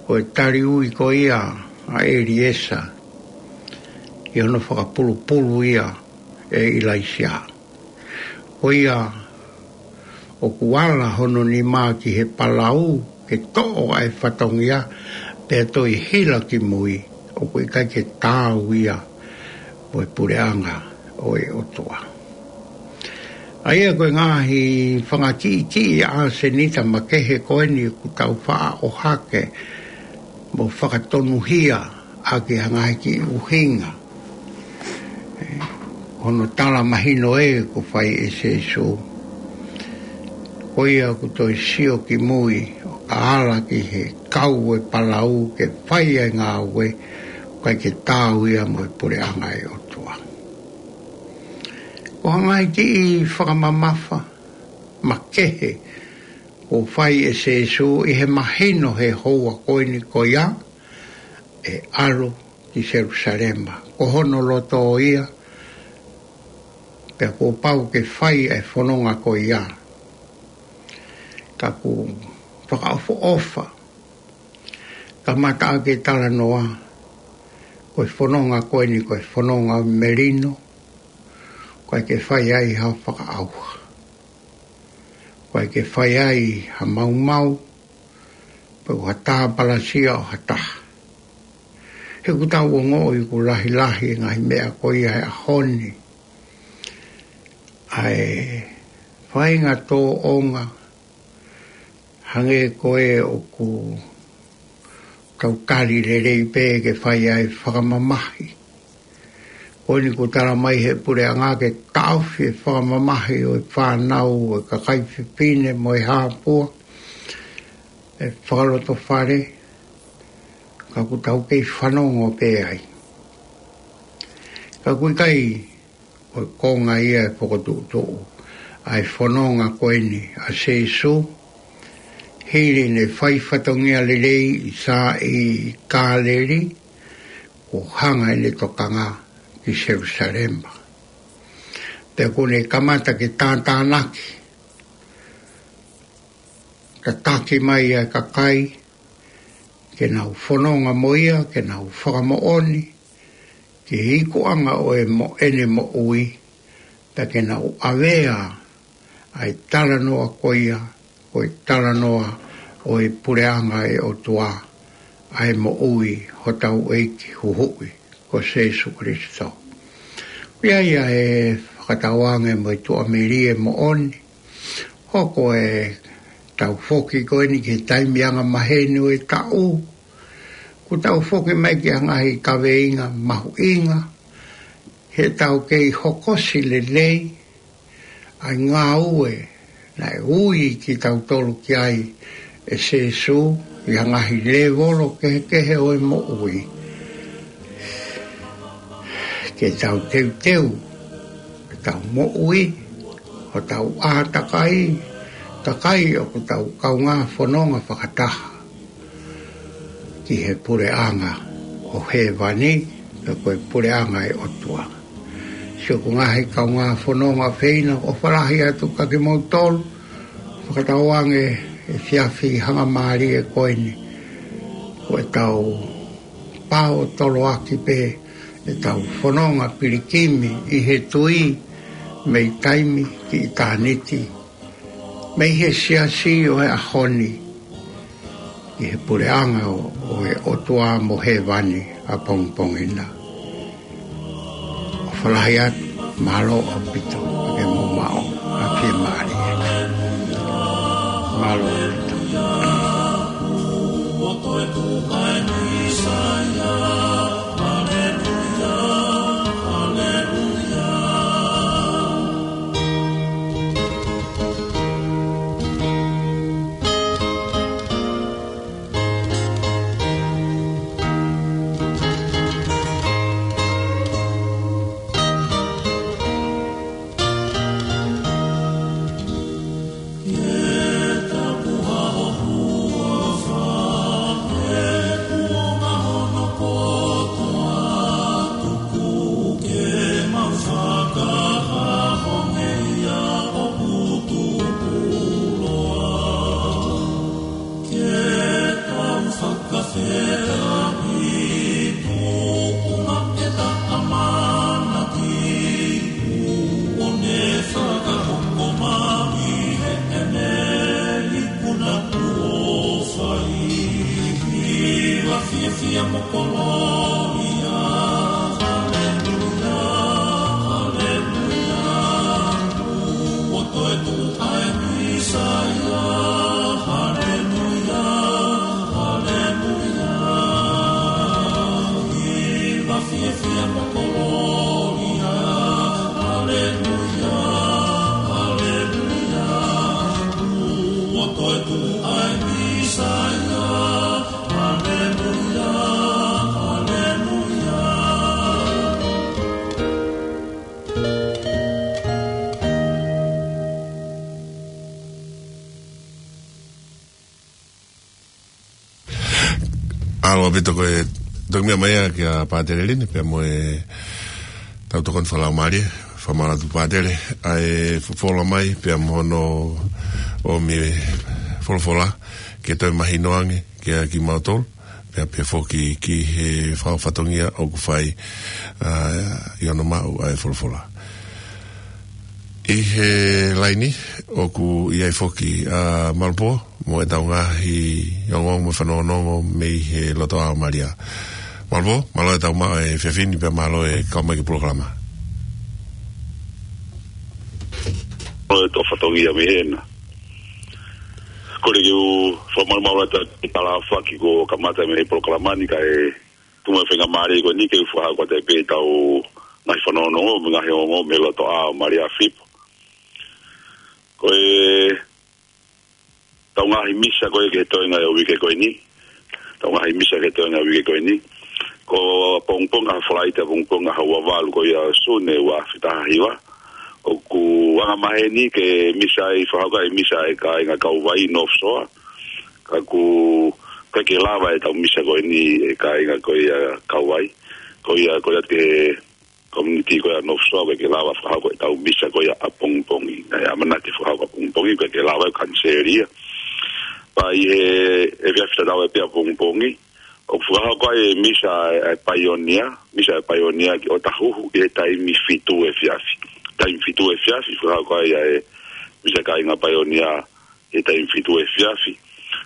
ko e tali ui ko ia ʻa ʻEliesa, ʻi hono fakapulupulu ia ʻe ʻIlaisiā. Ko ia ʻoku ala hono nima ki he palau ke toʻo ʻa e fatongia, pea toe hila ki mui, ʻoku ʻikai ke taau ia mo e puleʻanga ʻo e ʻOtua. ʻA ia ko e ngaahi fanga kiʻi kiʻi ʻasenita makehe ko eni ʻoku tau faʻa ʻohake mo fakatonuhia ʻaki ha ngaahi kiʻi ʻuhinga. ʻE, hono tala mahino ē kuo fai ʻe Sēsū. Ko ia ʻoku toe sio ki mui, ʻo ka ala ki he kau e palau ke fai e ngāue, ʻoku ʻikai ke taau ia mo e puleʻanga ʻo e ʻOtua. Ko e ngaahi kiʻi fakamamafa makehe kuo fai ʻe Sēsū ʻi he mahino he houa ko eni ko ia, ʻe ʻalu ki Selusalema. Ko hono loto ia, pea kuo pau ke fai e fononga ko ia. Ka ʻoku fakaʻofoʻofa, kamata ʻaki e talanoa, ko e fononga ko eni ko e fononga melino, ʻoku ʻikai ke fai ai ha fakaʻauha. ʻOku ʻikai ke fai ai ha maumau, pe ko ha tāpalasia ʻo ha taha. He ʻoku tau ongoʻi ʻoku lahilahi e ngaahi meʻa ko ia he ʻaho ni. ʻA e faʻahinga tōʻonga, hangē ko ē ʻoku tau tali lelei pē ke fai ai fakamamahi. Ko eni kuo tala mai he puleʻanga ke taʻofi e fakamamahi ʻo e fānau, ʻo e kakai fefine mo e hāpua, e fakalotofale, ka ʻoku tau kei fanongo pē ai. Ka ʻoku ʻikai ko e konga ia e fokotuʻutuʻu ʻa e fononga ko eni ʻa Sēsū, hili ʻene fai fatongia lelei ʻi Sā-, ʻi Kāleli, kuo hanga ʻene tokanga ki Selusalema. Pea kuo ne kamata ke tātānaki, tataki mai ʻa e kakai, ke nau fononga mo ia, ke nau fakamoʻoni ki he ikuʻanga ʻo e mo-, ʻene moʻui, pea ke nau ʻavea ʻa e talanoa ko ia, ko e talanoa ʻo e puleʻanga ʻo e ʻOtua, ʻa e moʻui hotau ʻEiki huhuʻi ko Sēsū Kalaisi. Pea ʻi ai e fakatauange mo e tuʻamelie moʻoni. Hoko e tau foki ko eni ki he taimi angamaheni ʻo e taʻu. Kuo tau foki mai ki he ngaahi kaveinga mahuʻinga. He tau kei hokosi lelei ʻa e ngāue naʻe ui kitautolu ki ai ʻe Sīsū ʻi he ngaahi lēvolo kehekehe ʻo e moʻui. Ke tau teuteu, ke tau moʻui, ʻo tau ʻātakai, takai ʻoku tau kaungā fononga fakataha ki he puleʻanga ʻo hēvani, pe ko e puleʻanga ʻo e ʻOtua. Siʻoku ngaahi kaungā fononga feina, ʻofa lahi atu kia kimoutolu, fakatauange e efiafi hangamālie ko eni, ko e tau pao toloaki pē, e tau fononga pilikimi ʻi he tui, mei taimi ki ʻitāniti, mei he siasi ʻo e ʻaho ni, ʻi he puleʻanga ʻo, ʻo e ʻOtua mo hēvani ʻapongipongi na. ʻOfa lahi atu, mālō ʻaupito, ke mou maʻu ha fiemālie. Mālō ʻaupito. Ke tau fakafetaʻi, tuku na ke ta ʻamanaki, kuo ne fakahoko mai heʻene ikuna kuo fai. Hiva fiefia mo kololia, haleluia, haleluia. Kuo toe tuʻu ʻa e Mīsaia, haleluia, haleluia. Hiva fiefia mo kololia, haleluia, haleluia. Kuo toe tuʻu ʻa e Mīsaia, haleluia, haleluia. ʻAlo ʻaupito ko e toki meʻa mai ia kia Pātele Lini, pea mo e tau tokoni fakalaumālie, fakamālō atu Pātele, ʻa e folofola mai, pea mo hono ʻomi e folofola, ke toe mahino ange, kia kimautolu, pea pehē foki ki he fakafatongia ʻoku fai, ʻa, ʻi hono maʻu ʻa e folofola. ʻI he laini, ʻoku ʻi ai foki ʻa Malupō, mo e tau ngaahi ongoongo mo e fanongonongo mei he loto ʻa Malia. Malupō, mālō e tau maʻu e efiafi ni pea mālō e kau mai ki he polokalama. Mālō e tau fatongia mei hena. Kole ke u fakamalumalu atu e talafaki kuo kamata mei he polokalama ni kae tuku mai e faingamālie ko eni ke u fakahoko atu pē e tau ngaahi fanongonongo, mo e ngaahi ongoongo mei he loto ʻa Malia Fipo. Ko e tau ngaahi misa ko ē ki he toenga ʻo e uike ko eni. Tau ngaahi misa ki he toenga ʻo e uike ko eni. Ko ʻapongipongi ʻaho Falaite, ʻapongipongi ʻaho ua valu ko ia ʻo Sune ua afe taha hiva. ʻOku angamaheni ke misa ai, fakahoko ai e misa ʻa e kāinga Kauvai North Shore. Ka ʻoku ʻikai ke lava e tau misa ko eni ʻa e kāinga ko ia Kauvai. Ko ia, ko ia ki he community ko ia North Shore, ʻikai ke lava fakahoko e tau misa ko ia ʻapongipongi. Naʻe ʻamanaki fakahoko ʻapongipongi, ʻikai ke lava, ʻe kaniseli ia. Pea ʻi he, ʻi he efiafi tatau ai pē ʻapongipongi, ʻoku fakahoko ai e misa ʻa e, ʻa e paionia, misa ʻa e paionia ki ʻŌtāhuhu ʻi he taimi fitu efiafi. Taimi fitu efiafi, fakahoko ai ʻa e misa kāinga paionia ʻi he taimi fitu efiafi.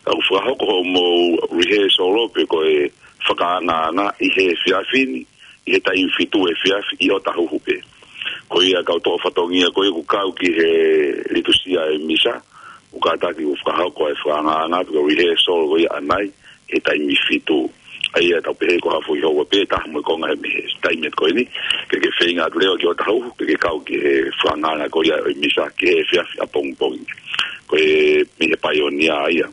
Ka ʻoku fakahoko hoʻomou rehearsal pe ko e fakaangaanga ʻi he efiafi ni, ʻi he taimi fitu efiafi ʻi ʻŌtāhuhu pē. Ko ia kau toʻo fatongia ko ia ʻoku kau ki he litusia e misa, ʻoku kātaki ʻo fakahoko e fakangaanga pe ko e rehearsal ko ia ʻanai, he taimi fitu. ʻA ia tau pehē ko ha foʻi houa pē taha mo e konga he mei he taimi ko eni, ke ke feinga atu leva ki ʻOtahuhu, ke ke kau ki he fakangaanga ko ia ʻo e misa ki he efiafi ʻapongipongi. Ko e mei he Paionia ia.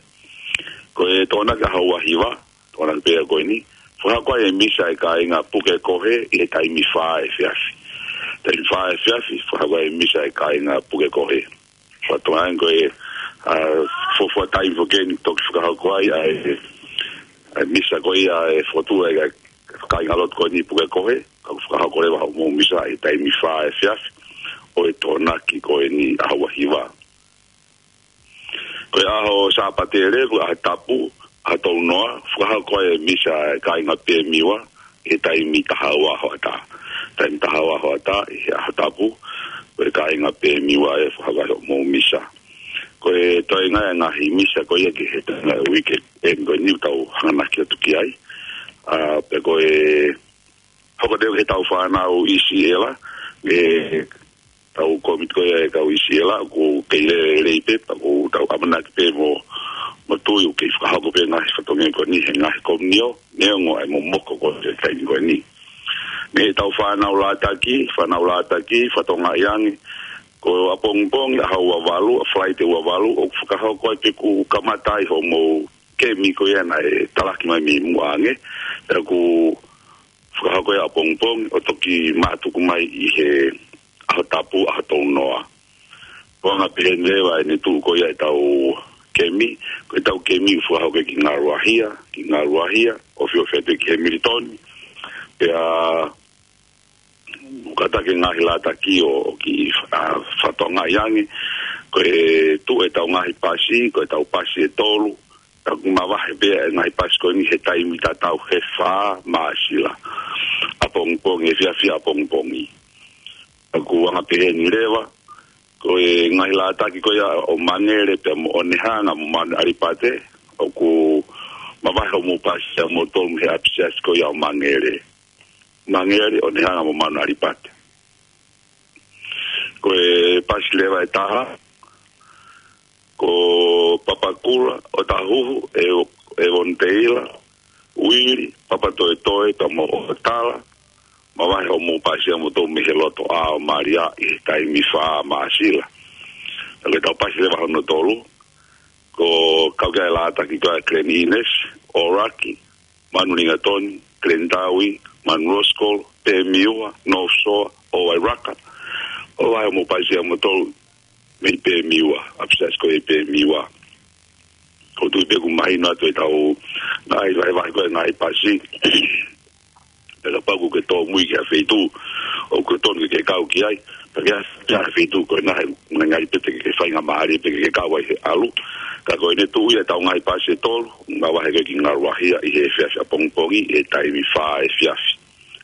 Ko e Tokonaki ʻaho ua hiva, Tokonaki pē ko eni, fakahoko ai e misa e kāinga Pukekohe ʻi he taimi fā efiafi. Taimi fā efiafi, fakahoko ai e misa e kāinga Pukekohe. Fatongia ko e, ʻa, fuofua taimi foki eni toki fakahoko ai ʻa e, ʻa e misa ko ia e fokotuʻu e kāinga lotu ko eni Pukekohe, ka ʻoku fakahoko leva hoʻomou misa ʻi he taimi fā efiafi ʻo e Tokonaki ko eni ʻaho ua hiva. Ko e ʻaho Sāpate leva, ʻaho tapu, ʻaho tolu noa, fakahoko ai e misa e kāinga Pemiua, ʻi he taimi taha ua hoʻatā. Taimi taha ua hoʻatā, ʻi he ʻaho tapu, ko e kāinga Pemiua ʻe fakahoko ai hoʻomou misa. Ko e toenga e ngaahi misa ko ia ki he toenga e uike, ʻe ko eni ʻoku tau hanganaki atu ki ai. ʻA, pea ko e, hoko atu ki he tau fānau ʻi Siela, ʻe tau kōmiti ko ia e kau ʻi Siela, ʻoku kei lelei pē, pea ʻoku tau ʻamanaki pē mo, mo tui ʻoku kei fakahoko pē ngaahi fatongia ko eni he ngaahi komiunitī, neongo ʻa e momoko ko e taimi ko eni. Mei he tau fānau Lātaki, fānau Lātaki, fakatokangaʻi ange, ko ʻapongipongi ʻaho ua valu, ʻa Falaite ua valu, ʻoku fakahoko ai pē ʻoku kamata ai hoʻomou kemi ko ia naʻe talaki mai mei muʻa ange, pea ʻoku fakahoko ia ʻapongipongi ʻo toki mātuku mai ʻi he ʻaho tapu, ʻaho tolu noa. Ko e anga pehē ni leva ʻene tuʻu ko ia e tau kemi, ko e tau kemi ʻoku fakahoko ki Ngaluahia, ki Ngaluahia, ʻo fio fete ki Hamilton. Pea ʻoku kātaki e ngaahi Lātaki ʻo, ʻo kiʻi, ʻa, fakatokangaʻi ange, ko e tuʻu e tau ngaahi pasi, ko e tau pasi ʻe tolu, ʻoku mavahe pē e ngaahi pasi ko eni he taimi tatau he fā Māsila. ʻApongipongi, efiafi ʻapongipongi. ʻOku anga pehē ni leva, ko e ngaahi Lātaki ko ia ʻo Mangele pea mo ʻOnehanga mo Manu ʻAlipate, ʻoku mavahe hoʻomou pasi ʻa moutolu mei he ʻapisiasi ko ia ʻo Mangele. Mangele, ʻOnehanga mo Manu ʻAlipate. Ko e pasi leva ʻe taha, ko Papakura, ʻOtahuhu, ʻe, ʻEvoniteila, Uili, Papatoetoe, pea mo ʻOtala, mavahe hoʻomou pasi ʻa moutolu mei he Lotoʻā ʻo Malia ʻi he taimi fā Māsila. Ko e tau pasi leva hono tolu, ʻoku kau ki ai e Lātaki ko ia Glen Innes, ʻAoraki, Manu Lingatoni, Glen Tawi, Manu Roskol, Pemiua, North Shore, ʻo Wairaka, ʻo mavahe hoʻomou pasi ʻa moutolu mei Pemiua, ʻapisiasi ko ia ʻi Pemiua. ʻOku ou tui pē ʻoku mahino atu e tau ngaahi vahevahe ko ia e ngaahi pasi. Pea kapau ʻoku ke tōmui ki ha feituʻu ʻoku totonu ke ke kau ki ai, pea ke ʻalu ki ha feituʻu ko ena he ngaahi pē te ke faingamālie pē ke ke kau ai he ʻalu. Ka ko ʻene tuʻu ia e tau ngaahi pasi ʻe tolu, mavahe ko ia ki Ngaluahia ʻi he efiafi ʻapongipongi ʻi he taimi fā efiafi.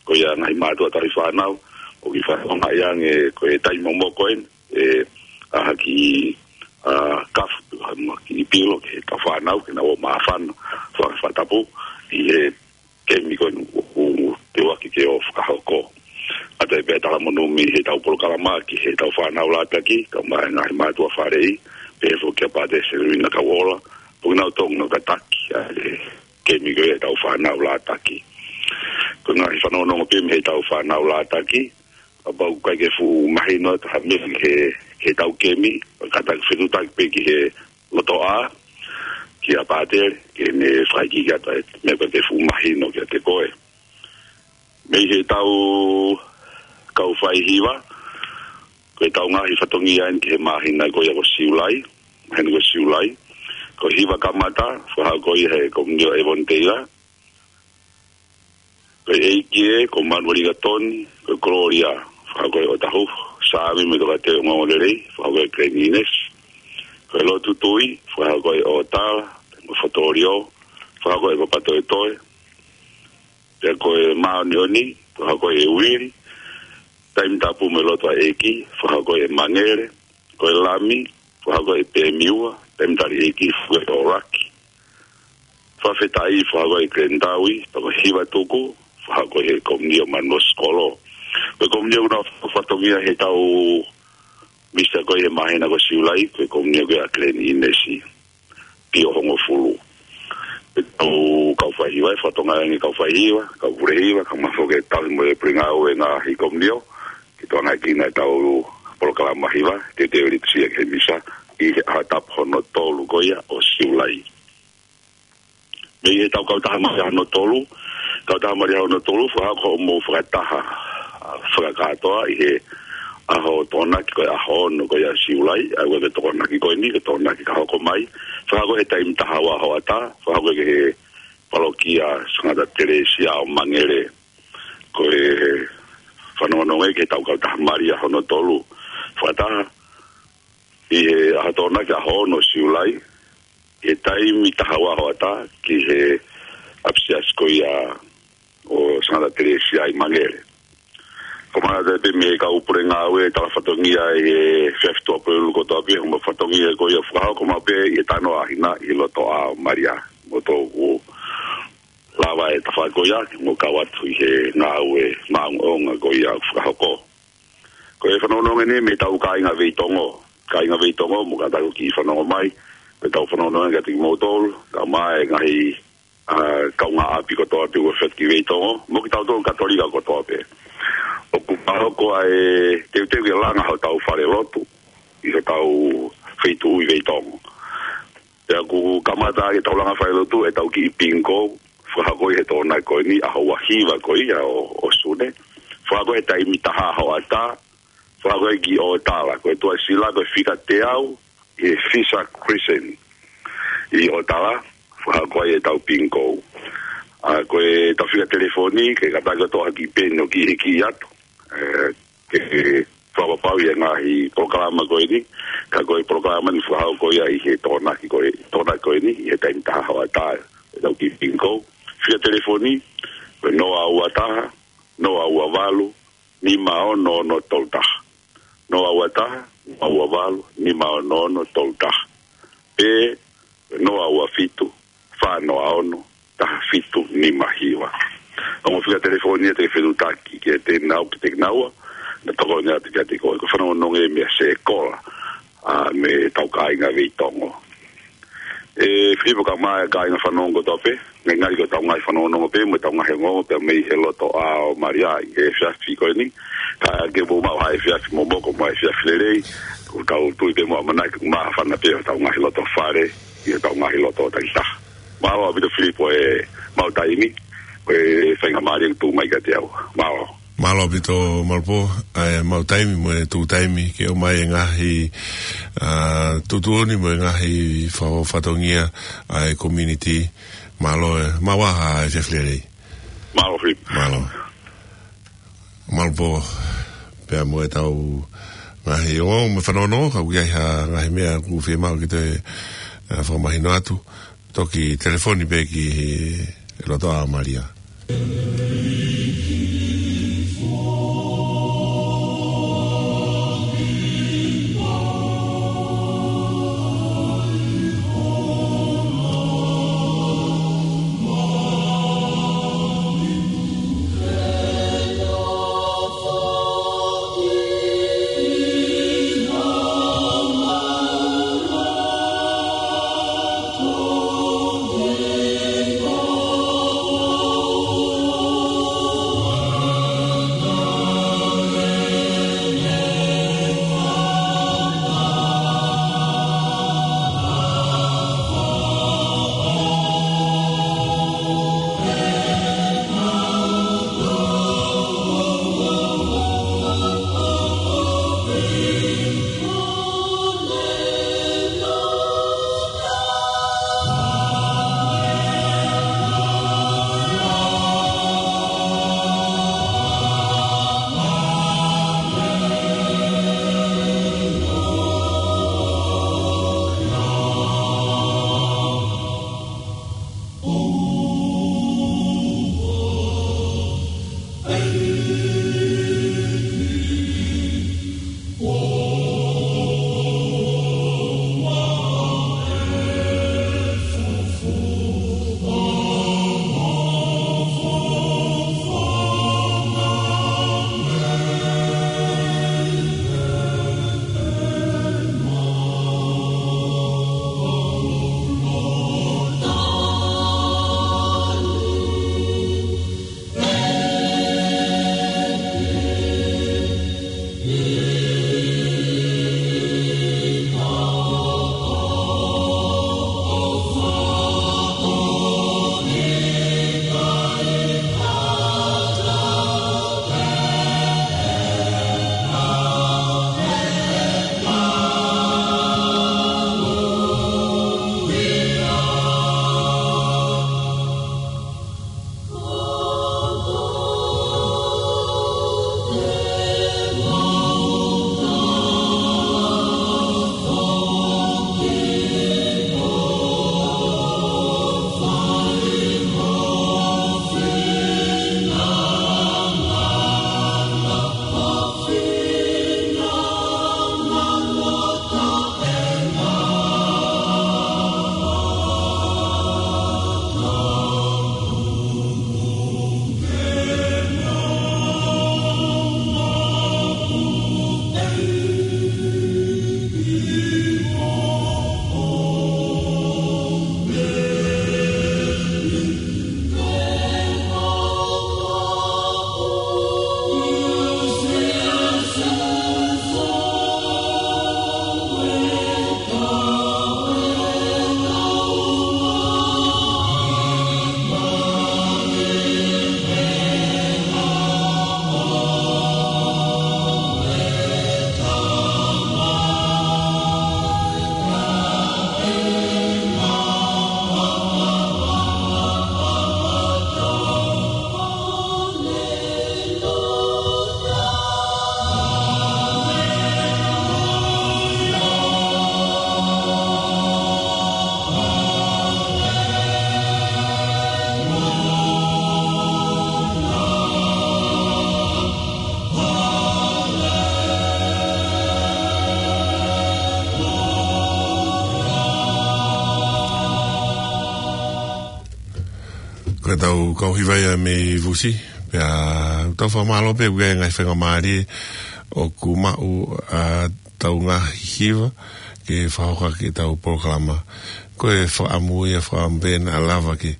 Ko ia ngaahi mātuʻa tauhi fānau, ʻoku kiʻi fakatokangaʻi ange ko e taimi momoko eni, ʻe, ʻa, ha kiʻi, ʻa, kafu, ha kiʻi pilo ki he tau fānau, ke nau ō māfana, fa-, fakatapu ʻi he kemi ko eni ʻoku, ʻoku teuaki ke ō fakahoko. ʻA ia pea talamonū mei he tau polokalama ki he tau fānau Lātaki, kae ʻumaʻā e ngaahi mātuʻa faleʻi, pehē foki kia Pātele Seluina Kauola, pea ʻoku nau totonu ke nau tataki ʻa e kemi ko ia e tau fānau Lātaki. Ko e ngaahi fanongonongo pē mei he tau fānau Lātaki, kapau ʻoku ʻikai ke fuʻu mahino atu ha meʻa ki he, ki he tau kemi, kātaki fetuʻutaki pē ki he Lotoʻā, kia Pātele, ke ne fakaikiiki atu e meʻa ʻoku ʻikai ke fuʻu mahino kiate koe. Mei he tau kau faihiva, ko e tau ngaahi fatongia eni ki he māhina ko ia ko Siulai, māhina ko Siulai. Ko e hiva kamata, fakahoko ia he Komiunitī ʻo ʻEvoniteila. Ko e ʻeiki ē, ko Manueli Gatoni, ko e Gloria, fakahoko ʻe ʻOtahuhu, Sāmi mo Tokateu Ongoongolelei, fakahoko ʻe Glen Innes. Ko e lotu tui, fakahoko ʻe ʻOtala, mo Fotolio, fakahoko ʻe Papatoetoe. Pea ko e māʻoniʻoni, fakahoko ʻe Uili. Taimi tapu mo e lotu ʻa e ʻEiki, fakahoko ʻe Mangele. Ko e lami, fakahoko ʻe Pemiua. Taimi tali ʻEiki, fakahoko ʻe ʻAoraki. Fakafetaʻi, fakahoko ʻe Glen Tawi. Pea ko e hiva tuku, fakahoko ʻe he Komiunitī ʻo Manu Roskol. Ko e komiunitī ʻoku nau fatongia he taʻu misa ko ia he māhina ko Siulai, ko e komiunitī ko ia ʻa Glen Innes, Pio hongofulu. Ko e taʻu kau faihiva, ʻe fatongia ange kau faihiva, kau pule hiva, kau mafoke tau mo e pule ngāue ngaahi komiunitī, ke tokangaʻi ʻa e taʻu polokalama hiva, teuteu litusia ki he misa, ʻi he ʻaho tapu hono tolu ko ia ʻo Siulai. Mei he taʻu kautaha Malia hono tolu, kautaha Malia hono tolu, fakahoko hoʻomou fakataha, ʻa, fakakātoa ʻi he ʻaho Tokonaki ko e ʻaho ono ko ia Siulai, ʻa ia ko e Tokonaki ko eni, ko e Tokonaki ka hoko mai, fakahoko he taimi taha ua hoʻatā, fakahoko ki he palokia Sangata Telesia ʻo Mangele, ko e fanongonongo ki he taʻu kautaha Malia hono tolu, fakataha, ʻi he ʻaho Tokonaki ʻaho ono Siulai, he taimi taha ua hoʻatā ki he ʻapisiasi ko ia ʻo Sangata Telesia ʻi Mangele. Ko e mata pē mei he kau pule ngāue tala fatongia ʻi he efiafi Tuʻapulelulu kotoa pē, hoʻomou fatongia ko ia fakahoko maʻu pē ʻi he tanoa ʻa hina ʻi loto ʻa Malia. Mo tō ʻoku lava e tafaʻaki ko ia, mo kau atu ʻi he ngāue maʻongoʻonga ko ia fakahoko. Ko e fanongonongo eni mei he taʻu kāinga Veitongo. Kāinga Veitongo, mo ka taku ki fanongo mai, ko e taʻu fanongonongo kiate kimoutolu, ka mai e ngaahi, ʻa, kaungāʻapi kotoa pē ʻoku fetuki Veitongo, mo kitautolu Katolika kotoa pē. ʻOku fakahoko ʻa e teuteu ke langa hotau fale lotu, ʻi hotau feituʻu ʻi Veitongo. Pea ʻoku kamata ʻa e taulanga fale lotu ʻetau kiʻi bingo, fakahoko ʻi he Tokonaki ko eni, ʻaho ua hiva ko ia ʻo, ʻo Sune. Fakahoko he taimi taha hoʻatā, fakahoko ʻi ʻOtala, ko e tuʻasila, ko e fika teau, ʻi he Fisher Crescent. ʻI ʻOtala, fakahoko ai ʻetau bingo. ʻA, ko ʻetau fika telefoni, ke kātaki ʻo toʻo ha kiʻi peni ʻo kiʻi hiki atu. ʻE, ke fakapapauʻi ʻa e ngaahi polokalama ko eni, ka ko e polokalama ni fakahoko ia ʻi he Tokonaki ko e, Tokonaki ko eni, ʻi he taimi taha hoʻatā, ʻetau kiʻi bingo. Fika telefoni, ko e noa ua taha, noa ua valu, nima ono ono tolu taha. Noa ua taha, noa ua valu, nima ono ono tolu taha. Pe noa ua fitu, fā noa ono, taha fitu nima hiva. Ongo fika telefoni ia te ke fetuʻutaki kiate au, kiate kinaua, naʻa tokoni atu kiate koe. Ko e fanongonongo ia mei he sekola, ʻa, mei he taʻu kāinga Veitongo. ʻE, Filipo, ka mai e kāinga fanongo kotoa pē, ngalingali ko ʻetau ngaahi fanongonongo pē, mo ʻetau ngaahi ongoongo pē mei he loto ʻa Malia ʻi he efiafi ko eni. Ka ke mou maʻu ha efiafi momoko mo ha efiafi lelei, ʻoku tau tui pē mo ʻamanaki ʻoku māfana pē hotau ngaahi loto fale, ʻi hotau ngaahi loto takitaha. Mālō ʻaupito Filipo e maʻu taimi, ko e faingamālie ʻoku tuʻu mai kiate au. Mālō. Mālō ʻaupito Malupō, ʻa e maʻu taimi mo e tuʻu taimi ke ʻomai e ngaahi, ʻa, tuʻutuʻuni mo e ngaahi fa-, fatongia ʻa e community. Mālō e, maʻu ā ha efiafi lelei. Mālō Filipo. Mālō. Malupō, pea mo ʻetau ngaahi ongoongo mo e fanongonongo, ka ʻoku ʻi ai ha ngaahi meʻa ʻoku fiemaʻu ke toe, ʻa, fakamahino atu, toki telefoni pē ki he loto ʻa Malia. Ko ʻetau kau hiva ia mei Vusi, pea tau fakamālō pē ʻoku ʻi ai e ngaahi faingamālie ʻoku maʻu ʻa ʻetau ngaahi hiva ke fakahoko ʻaki ʻetau polokalama. Ko e fakaʻamu ia, fakaʻamu pē naʻa lava ke,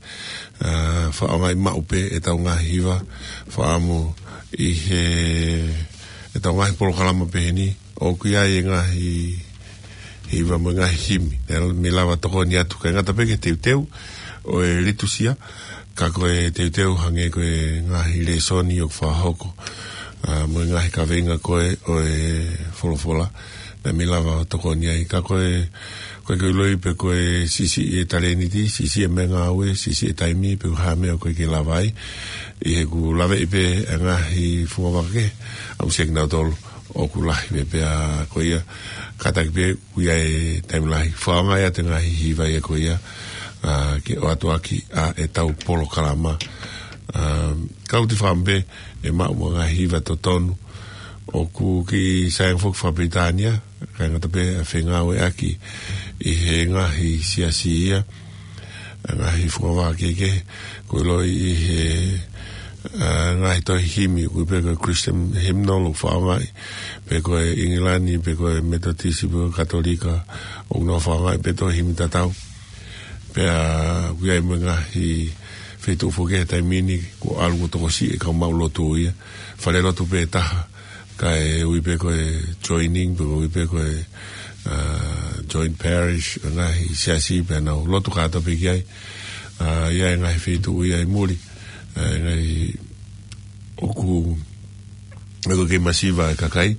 ʻa, fakaʻaongaʻi maʻu pē ʻetau ngaahi hiva, fakaʻamu ʻi he, ʻetau ngaahi polokalama pehē ni, ʻoku ʻi ai e ngaahi hiva mo e ngaahi himi, ʻe mei lava tokoni atu, ʻikai ngata pē ki he teuteu ʻo e litusia, ka ko e teuteu hangē ko e ngaahi lēsoni ʻoku fakahoko, ʻa, mo e ngaahi kaveinga ko ē ʻo e folofola, naʻe mei lava tokoni ai. Ka ko e, ko e ke ʻiloʻi pē ko e siʻisiʻi e talēniti, siʻisiʻi e meʻangāue, siʻisiʻi e taimi, pe ko e hā e meʻa ʻoku ʻikai ke lava ai, ʻi heʻeku laveʻi pē e ngaahi fungavaka kehe, ʻamusiaki nautolu ʻoku lahi pē, pea ko ia, kātaki pē ʻoku ʻi ai e taimi lahi, fakaʻaongaʻi atu e ngaahi hiva ia ko ia, ʻa, ke ʻoatu ʻaki ʻa ʻetau polokalama. ʻA, ka ʻoku ou fakaʻamu pē ʻe maʻu mo e ngaahi hiva totonu, ʻoku kiʻi sai ange foki faka-Pilitānia, ʻikai ngata pē ʻa e fengāueʻaki ʻi he ngaahi siasi ia, ʻa e ngaahi fungavaka kehekehe, ʻoku ʻiloʻi ʻi he, ʻa, ngaahi tohi himi, ʻoku ui pē ko e Christian hymnal ʻoku fakaʻaongaʻi, pe ko e ʻIngilani, pe ko e Metotisi, pe ko e Katolika, ʻoku nau fakaʻaongaʻi pē tohi himi tatau. Pea ʻoku ʻi ai mo e ngaahi feituʻu foki he taimi ni, kuo ʻalu kuo tokosiʻi e kau maʻu lotu ia. Falelotu pē taha, kae ui pē ko e joining, pe ko e ui pē ko e, ʻa, joint parish, ngaahi siasi, pea nau lotu kātoa pē ki ai. ʻA, ʻi ai e ngaahi feituʻu ia ʻi muli, ʻa, e ngaahi ʻoku, ʻoku kei masiva e kakai,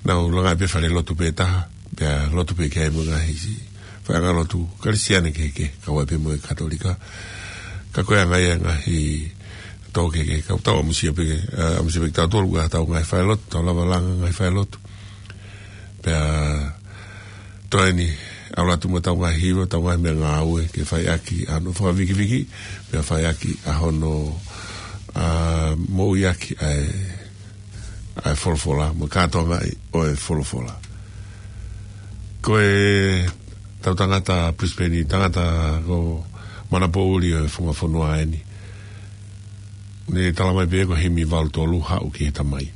nau langa pē falelotu pē taha, pea lotu pē ki ai mo e ngaahi si-, faiʻanga lotu Kalisitiane kehekehe, kau ai pē mo e Katolika. Ka ko e anga ia e ngaahi tō kehekehe, ka tau ʻamusia pē ke, ʻa, ʻamusia pē ke tau tolu, ʻa, tau ngaahi falelotu, tau lava langa ngaahi falelotu. Pea toe eni, ʻalu atu mo ʻetau ngaahi hiva, ʻetau ngaahi meʻangāue, ke fai ʻaki ʻa hono fakavikiviki, pea fai ʻaki ʻa hono, ʻa, moʻui ʻaki ʻa e, ʻa e folofola, mo e kātoangaʻi ʻo e folofola. Ko ʻetau tangata Brisbane, tangata ko Manapoʻuli ʻo e Funga Fonua eni. Ne tala mai pē ko e himi valu tolu, Haʻu ki he Tamai.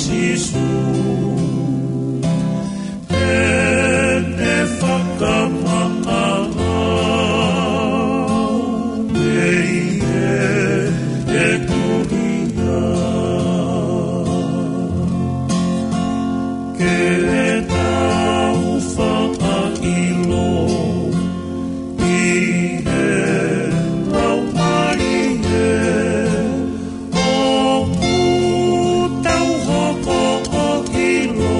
Sīsū, te ne fakamaʻa au mei heʻeku hia. Ke tau fakaʻilo ʻi he Laumālie, ʻoku tau hoko ʻo ʻilo,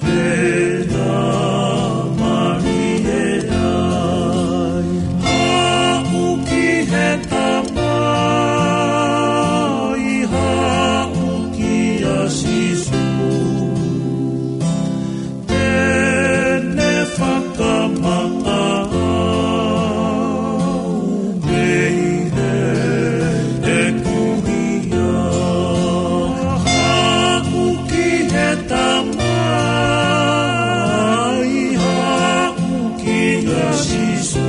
pea mālie ai. Haʻu ki he Tamai, haʻu kia Sīsū, te ne fakamaʻa au mei heʻeku hia. Haʻu ki he Tamai, haʻu kia Sīsū,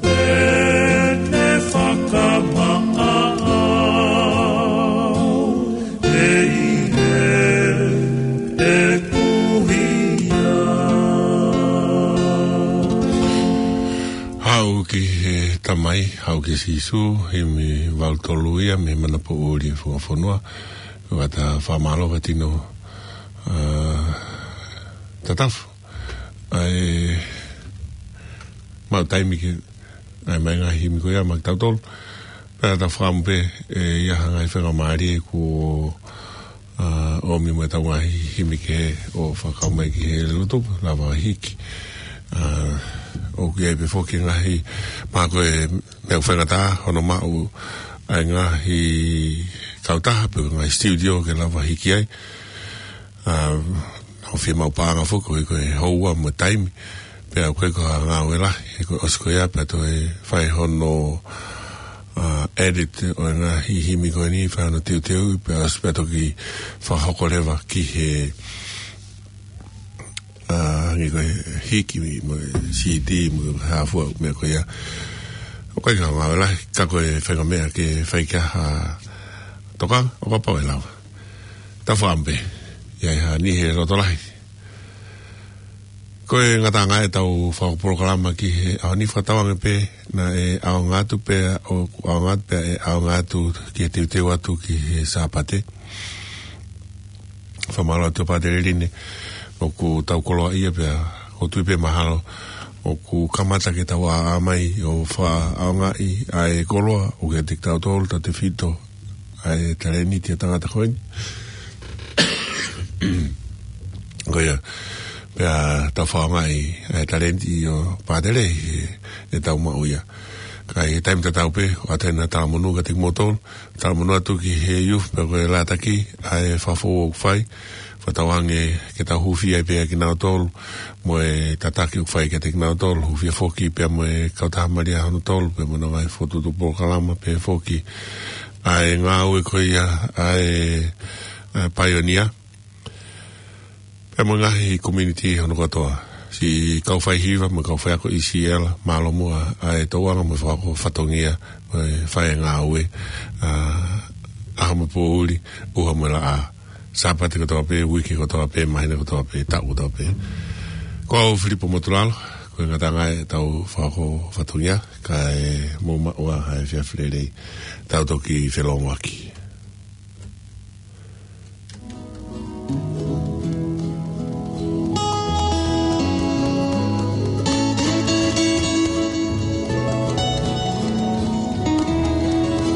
te ne fakamaʻa au mei heʻeku hia. Haʻu ki he Tamai, haʻu kia Sīsū, himi valu tolu ia mei he Manapoʻuli Fuafonua. Ko ʻeta fakamālō ʻa e tino, ā, tatafu ʻa e maʻu taimi ke ʻai mai ngaahi himi ko ia maʻa kitautolu. Pea ta fakamu pē ʻe ʻi ai ha ngaahi faingamālie kuo, ā, ʻomi mo ʻetau ngaahi himi kehe ʻo fakakau mai ki he lotu, lava hiki. Ā, ʻoku ʻi ai pē foki ngaahi, mahalo ko e meʻa faingataʻa hono maʻu ʻa e ngaahi kautaha pe ngaahi studio ke lava hiki ai. Ā, ʻoku fiemaʻu paʻanga foki, ko e, ko e houa mo e taimi. Pea ʻoku ʻikai ko ha ngāue lahi, he ko e ʻosi ko ia pea toe fai hono, ā, edit ʻo e ngaahi himi ko eni, fai hono teuteu, pea ʻosi pea toki fakahoko leva ki he, ā, hangē ko e hiki mo e CD mo e hā fua meʻa ko ia. ʻOku ʻikai ko ha ngāue lahi, ka ko e faʻahinga meʻa ke fai ki ai ha tokanga, ʻo kapau ʻe lava. Ta fakamu pē, ʻi ai ha niʻihi ʻe loto lahi. Ko e ngataʻanga ʻetau fakapolokalama ki he ʻaho ni, fakatauange pē naʻe ʻaonga atu pea ʻoku ʻaonga atu pea ʻe ʻaonga atu ki he teuteu atu ki he Sāpate. Fakamālō atu Pātele Line, ʻoku tau koloaʻia pea ʻoku ou tui pē mahalo ʻoku kamata ke tau ʻā mai ʻo fakaʻaongaʻi ʻa e koloa ʻoku ʻiate kitautolu, tautefito ʻa e talēniti ʻa e tangata ko eni. Ko ia, pea tau fakaʻaongaʻi ʻa e talēniti ʻo Pātele ʻi he, ʻetau maʻu ia. Ka ʻi he taimi tatau pē, ʻoatu ʻena talamonū kiate kimoutolu, talamonū atu ki he youth, pea ko e lātaki ʻa e fakafou ʻoku fai, fakatauange ke tau hūfia ai pē kinautolu, mo e tataki ʻoku fai kiate kinautolu, hūfia foki pea mo e kautaha Malia hono tolu, pea mo hono ngaahi fokotuʻutuʻu polokalama, pea foki ʻa e ngāue ko ia ʻa e, ʻa e paionia. Pea mo e ngaahi community hono kotoa. Siʻi kau faihiva mo e kau faiako ʻi Siela, mālō muʻa ʻa e tokanga mo e fakafou fatongia, mo e fai e ngāue, ā, ʻaho mo e poʻuli, ʻuha mo e laʻā. Sāpate kotoa pē, uike kotoa pē, māhina kotoa pē, taʻu kotoa pē. Ko au Filipo Motulalo, ko e ngataʻanga ʻetau fakafou fatongia, kae mou maʻu ā ha efiafi lelei, tau toki felōngoaki.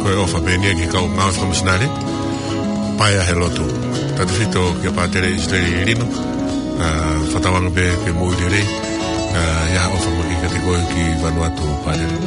Ko e ʻofa pē eni ia ki he kau ngāue fakamisinale, paea he lotu. Tautefito kia Pātele ʻIsileli Lino, ā, fakatauange pē ke moʻui lelei, ā, ʻi ai ha ʻofa makehe kiate koe ki Vanuatu Pātele.